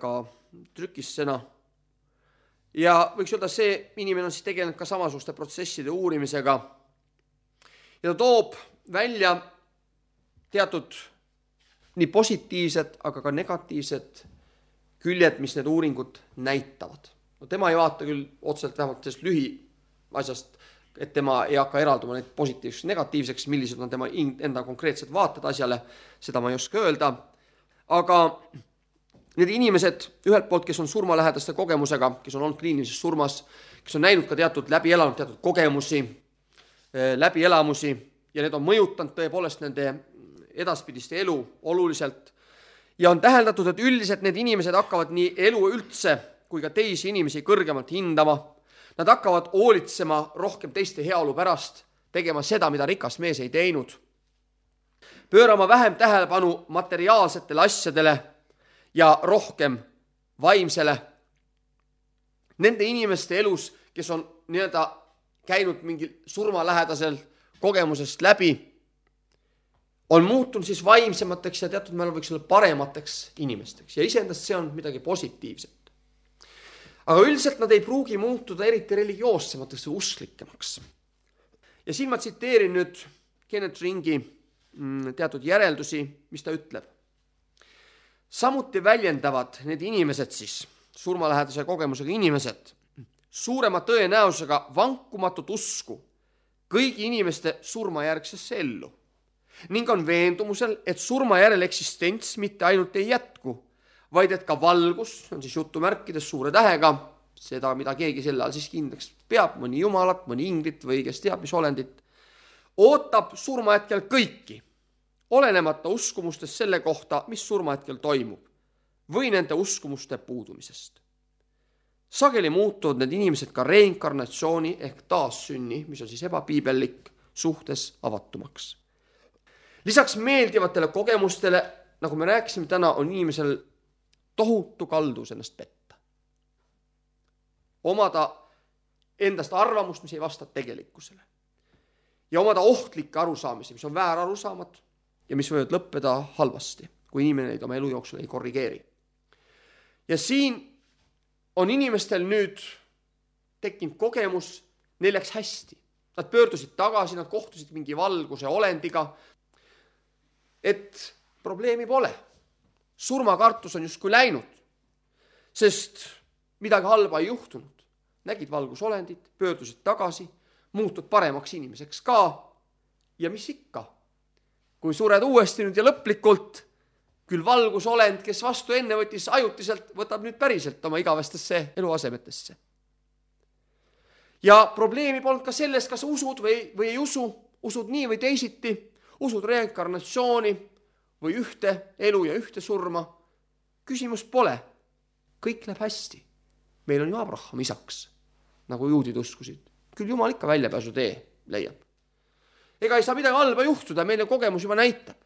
ka trükissena. Ja võiks öelda, see inimene on siis tegelenud ka samasuguste protsesside uurimisega ja ta toob välja teatud nii positiivsed, aga ka negatiivsed küljed, mis need uuringud näitavad. No tema ei vaata küll otseselt vähemalt sellest lühiasjast, et tema ei hakka eralduma neid positiivseks negatiivseks, millised on tema enda konkreetsed vaated asjale, seda ma ei oska öelda. Aga need inimesed ühelt poolt, kes on surmalähedaste kogemusega, kes on olnud kliinilises surmas, kes on näinud ka teatud läbi elanud teatud kogemusi, läbielamusi ja need on mõjutanud tõepoolest nende edaspidiste elu oluliselt. Ja on täheldatud, et üldiselt need inimesed hakkavad nii elu üldse kui ka teisi inimesi kõrgemalt hindama. Nad hakkavad hoolitsema rohkem teiste heaolu pärast, tegema seda, mida rikas mees ei teinud. Pöörama vähem tähelepanu materiaalsetele asjadele ja rohkem vaimsele. Nende inimeste elus, kes on nii-öelda käinud mingil surmalähedasel kogemusest läbi, on muutunud siis vaimsemateks ja teatud määral võiks olla paremateks inimesteks. Ja iseendast see on midagi positiivset. Aga üldiselt nad ei pruugi muutuda eriti religioossemateks või usklikemaks. Ja siin ma tsiteerin nüüd Kenneth Ringi teatud järeldusi, mis ta ütleb. Samuti väljendavad need inimesed siis, surmalähedase kogemusega inimesed, suurema tõenäosusega vankumatut usku kõigi inimeste surmajärgsesse ellu ning on veendumusel, et surmajärel eksistents mitte ainult ei jätku, vaid et ka valgus, on siis jutumärkides suure tähega, seda, mida keegi selle all siis kindlaks peab, mõni jumalat, mõni inglit või kes teab, mis olendit, ootab surmahetkel kõiki, olenemata uskumustest selle kohta, mis surmahetkel toimub, või nende uskumuste puudumisest. Sageli muutuvad need inimesed ka reinkarnatsiooni ehk taassünni, mis on siis ebapiibellik, suhtes avatumaks. Lisaks meeldivatele kogemustele, nagu me rääkisime täna, on inimesel tohutu kaldus ennast petta. Omada endast arvamust, mis ei vasta tegelikkusele. Ja omada ohtlikke arusaamisi, mis on väär arusaamad ja mis võivad lõppeda halvasti, kui inimene neid oma elu jooksul ei korrigeeri. Ja siin on inimestel nüüd tekkinud kogemus, neil läks hästi. Nad pöördusid tagasi, nad kohtusid mingi valguse olendiga, et probleemi pole. Surmakartus on justkui läinud, sest midagi halba ei juhtunud. Nägid valgusolendit, pöördusid tagasi, muutud paremaks inimeseks ka. Ja mis ikka? Kui sured uuesti nüüd ja lõplikult, küll valgusolend, kes vastu enne võttis ajutiselt, võtab nüüd päriselt oma igavestesse eluasemetesse. Ja probleemi polnud ka selles, kas usud või ei usu, usud nii või teisiti, usud reinkarnatsiooni või ühte elu ja ühte surma. Küsimus pole. Kõik läheb hästi. Meil on ju Abraham isaks, nagu juudid uskusid. Küll Jumal ikka väljapääsu tee leiab. Ega ei saa midagi halba juhtuda, meile kogemus juba näitab.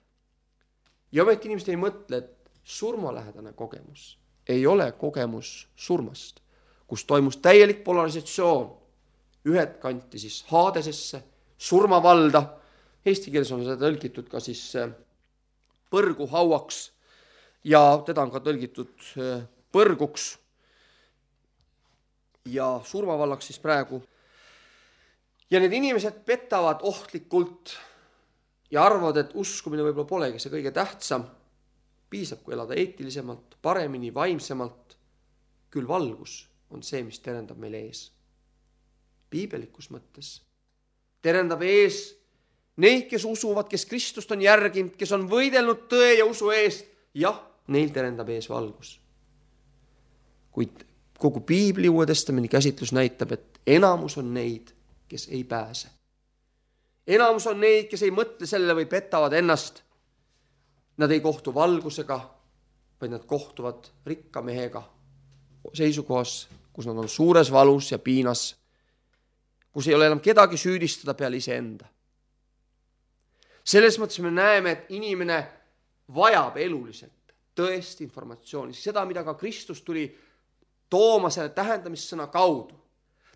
Ja ometi inimesed ei mõtle, et surmalähedane kogemus ei ole kogemus surmast, kus toimus täielik polarisatsioon. Ühed kanti siis Haadesesse, surmavalda. Eesti keeles on seda tõlgitud ka siis põrguhauaks ja teda on ka tõlgitud põrguks ja surmavallaks siis praegu. Ja need inimesed petavad ohtlikult ja arvavad, et uskumine võib-olla polegi see kõige tähtsam. Piisab, kui elada eetilisemalt, paremini, vaimsemalt. Küll valgus on see, mis terendab meil ees. Piibelikus mõttes terendab ees neid, kes usuvad, kes Kristust on järginud, kes on võidelnud tõe ja usu eest. Jah, neil terendab ees valgus. Kuid kogu Piibli Uue Testamendi käsitlus näitab, et enamus on neid, kes ei pääse. Enamus on neid, kes ei mõtle sellele või petavad ennast. Nad ei kohtu valgusega, vaid nad kohtuvad rikka mehega seisukohas, kus nad on suures valus ja piinas, kus ei ole enam kedagi süüdistada peale iseenda. Selles mõttes me näeme, et inimene vajab eluliselt tõesti informatsiooni, seda, mida ka Kristus tuli tooma selle tähendamissõna kaudu.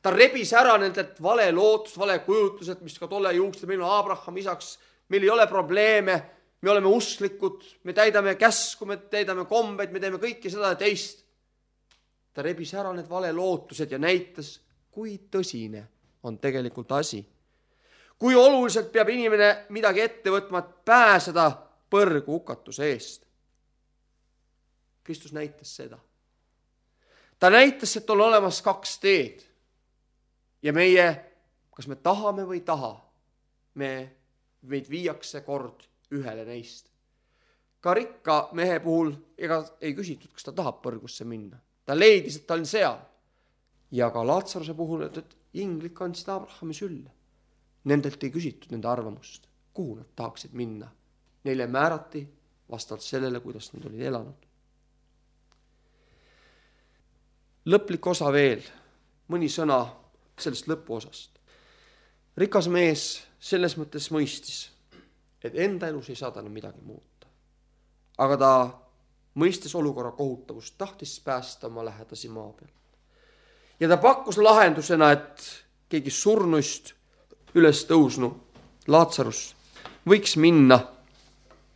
Ta rebis ära nendelt vale lootus, vale kujutlused, mis ka tolle juuksed, meil on Abraham isaks, meil ei ole probleeme, me oleme usklikud, me täidame käsku, me täidame kombeid, me teeme kõike seda ja teist. Ta rebis ära need vale lootused ja näitas, kui tõsine on tegelikult asi. Kui oluliselt peab inimene midagi ette võtma, et pääseda põrgu hukatuse eest. Kristus näitas seda. Ta näitas, et on olemas kaks teed. Ja meie, kas me tahame või taha, meid viiakse kord ühele neist. Ka rikka mehe puhul ega ei küsitud, kas ta tahab põrgusse minna. Ta leidis, et ta on seal. Ja ka Laatsaruse puhul, et inglid kandsid Abrahami sülle. Nendelt ei küsitud nende arvamust, kuhu nad tahaksid minna. Neile määrati vastavalt sellele, kuidas nad olid elanud. Lõplik osa veel, mõni sõna sellest lõpuosast. Rikas mees selles mõttes mõistis, et enda elus ei saa talle midagi muuta. Aga ta mõistes olukorra kohutavust, tahtis päästa oma lähedasi maa peal. Ja ta pakkus lahendusena, et keegi surnuist üles tõusnu Laatsarus võiks minna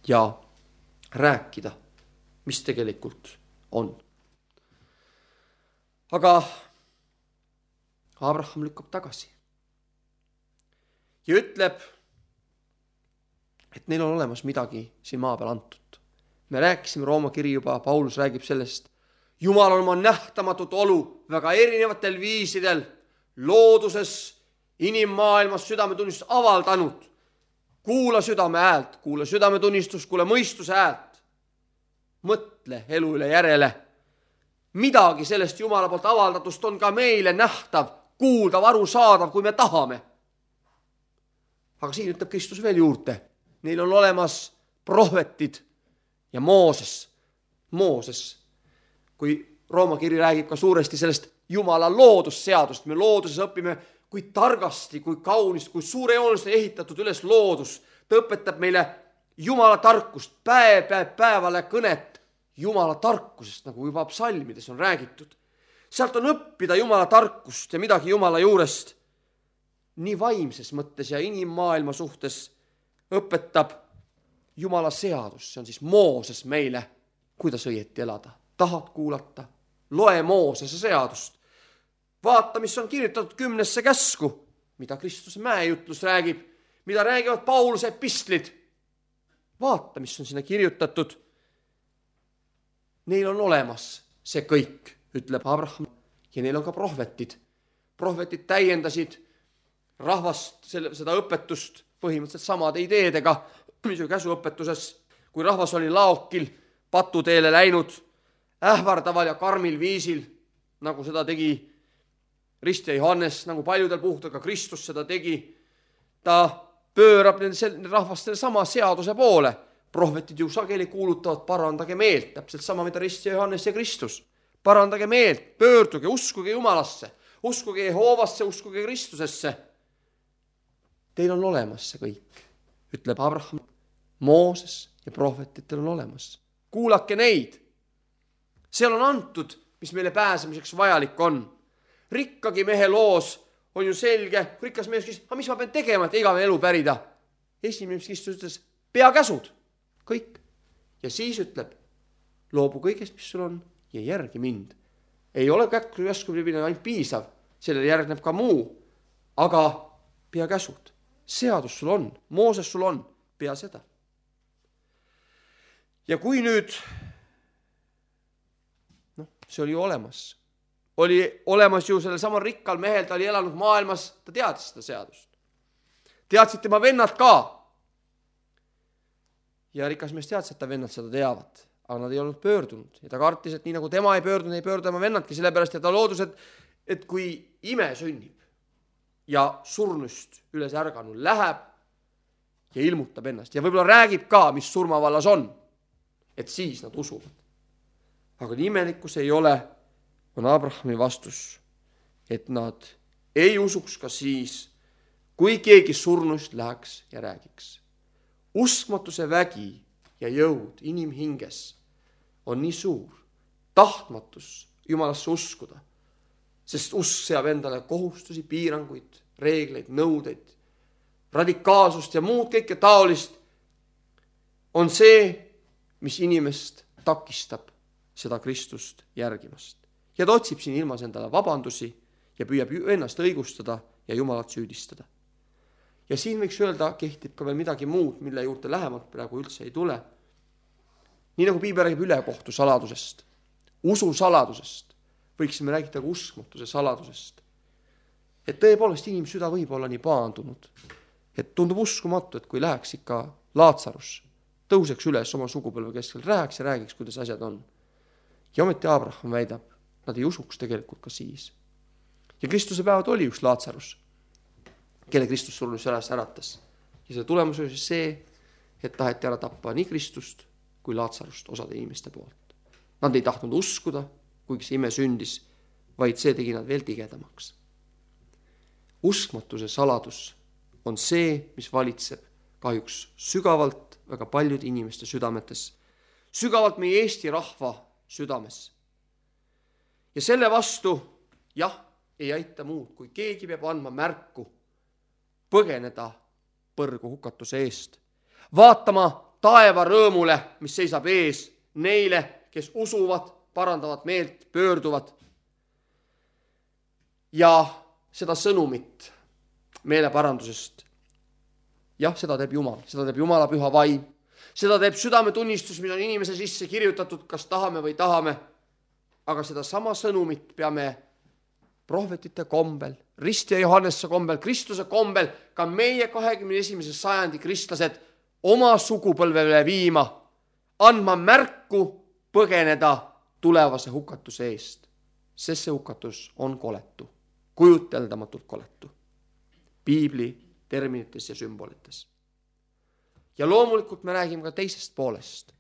ja rääkida, mis tegelikult on. Aga Abraham lükkab tagasi ja ütleb, et neil on olemas midagi siin maa peal antud. Me rääkisime Rooma kiri juba, Paulus räägib sellest. Jumal on oma nähtamatut olu väga erinevatel viisidel looduses, inimmaailmas südametunnistust avaldanud. Kuula südame häält, kuula südametunnistust, kuula mõistuse häält. Mõtle elu üle järele. Midagi sellest Jumala poolt avaldatust on ka meile nähtav, kuuldav, arusaadav, kui me tahame. Aga siin ütleb Kristus veel juurde. Neil on olemas prohvetid ja Mooses. Kui Rooma kiri räägib ka suuresti sellest Jumala loodusseadust, me looduses õpime, kui targasti, kui kaunist, kui suurejoonest ehitatud üles loodus. Ta õpetab meile Jumala tarkust, päevale kõnet Jumala tarkusest, nagu juba psalmides on räägitud. Sealt on õppida Jumala tarkust ja midagi Jumala juurest. Nii vaimses mõttes ja inimmaailma suhtes õpetab Jumala seadus, see on siis Mooses meile, kuidas õieti elada. Tahad kuulata? Loe Moosese seadust. Vaata, mis on kirjutatud 10 käsku, mida Kristuse mäejutlus räägib, mida räägivad Pauluse epistlid. Vaata, mis on sinna kirjutatud. Neil on olemas see kõik, ütleb Abraham, ja neil on ka prohvetid. Prohvetid täiendasid rahvast seda õpetust põhimõtteliselt samade ideedega, mis oli käsuõpetuses, kui rahvas oli laokil, patuteele läinud, ähvardaval ja karmil viisil, nagu seda tegi Ristja Johannes, nagu paljudel puhtul ka Kristus seda tegi. Ta pöörab rahvastele sama seaduse poole. Prohvetid ju sageli kuulutavad, parandage meelt, täpselt sama, mida Ristja Johannes ja Kristus. Parandage meelt, pöörduge, uskuge Jumalasse, uskuge Jehovasse, uskuge Kristusesse. Teil on olemas see kõik, ütleb Abraham. Mooses ja prohvetitel on olemas. Kuulake neid. Seal on antud, mis meile pääsemiseks vajalik on. Rikkagi mehe loos on ju selge. Rikkas mees küsis, mis ma pean tegema, et igavene elu pärida? Esimene, mis Kristus ütles, pea käsud. Kõik. Ja siis ütleb, loobu kõigest, mis sul on, ja järgi mind. Ei ole käsku ainult piisav, sellele järgneb ka muu. Aga pea käsud. Seadus sul on, Mooses sul on, pea seda. Ja kui nüüd, see oli ju olemas. Oli olemas ju sellel samal rikkal mehel, ta oli elanud maailmas, ta teadis seda seadust. Teadsid tema vennad ka. Ja rikas mees teadis, et ta vennad seda teavad, aga nad ei olnud pöördunud. Ja ta kartis, et nii nagu tema ei pöördunud, ei pöördu tema vennadki, sellepärast, et ta loodus, et kui ime sünnib ja surnust üles ärganud läheb ja ilmutab ennast ja võib-olla räägib ka, mis surmavallas on, et siis nad usuvad. Aga imelikkus ei ole, on Abrahami vastus, et nad ei usuks ka siis, kui keegi surnust läheks ja räägiks. Uskmatuse vägi ja jõud inimhinges on nii suur, tahtmatus Jumalasse uskuda, sest usk seab endale kohustusi, piiranguid, reegleid, nõudeid, radikaalsust ja muud kõike taolist, on see, mis inimest takistab seda Kristust järgimast. Ja ta otsib siin ilmas endale vabandusi ja püüab ennast õigustada ja Jumalat süüdistada. Ja siin võiks öelda, kehtib ka veel midagi muud, mille juurde lähemalt praegu üldse ei tule. Nii nagu Piibel räägib ülekohtu saladusest, usu saladusest, võiksime räägida ka uskmatuse saladusest. Et tõepoolest inimsüda võib olla nii paandunud, et tundub uskumatu, et kui läheks ikka Laatsarus, tõuseks üles oma sugupõlve keskel, rääks ja räägiks, kuidas asjad on. Ja ometi Abraham väidab, nad ei usuks tegelikult ka siis. Ja Kristuse päevad oli üks Laatsarus. kelle Kristus surnuks üles äratas. Ja selle tulemus oli see, et taheti ära tappa nii Kristust kui Laatsarust osade inimeste poolt. Nad ei tahtnud uskuda, kuigi see ime sündis, vaid see tegi nad veel tigedamaks. Uskmatuse saladus on see, mis valitseb kahjuks sügavalt väga paljude inimeste südametes, sügavalt meie Eesti rahva südames. Ja selle vastu, jah, ei aita muud, kui keegi peab andma märku põgeneda põrgu hukatuse eest, vaatama taeva rõõmule, mis seisab ees neile, kes usuvad, parandavad meelt, pöörduvad. Ja seda sõnumit meeleparandusest, jah, seda teeb Jumal, seda teeb Jumala püha vaim, seda teeb südametunnistus, mis on inimese sisse kirjutatud, kas tahame või tahame, aga seda sama sõnumit peame prohvetite kombel, Risti ja Johannese kombel, Kristuse kombel, ka meie 21. sajandi kristlased oma sugupõlvele viima, andma märku põgeneda tulevase hukatuse eest, sest see hukatus on koletu, kujuteldamatult koletu, piibli terminites ja sümbolites. Ja loomulikult me räägime ka teisest poolest,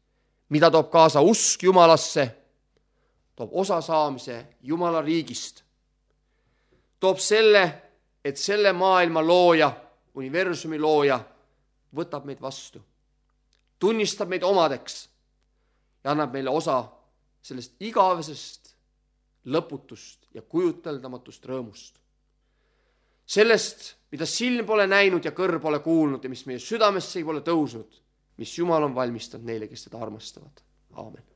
mida toob kaasa usk Jumalasse, toob osa saamise Jumala riigist, toob selle, et selle maailma looja, universumi looja võtab meid vastu, tunnistab meid omadeks ja annab meile osa sellest igavesest, lõputust ja kujuteldamatust rõõmust. Sellest, mida silm pole näinud ja kõrv pole kuulnud ja mis meie südamesse ei pole tõusnud, mis Jumal on valmistanud neile, kes teda armastavad. Aamen.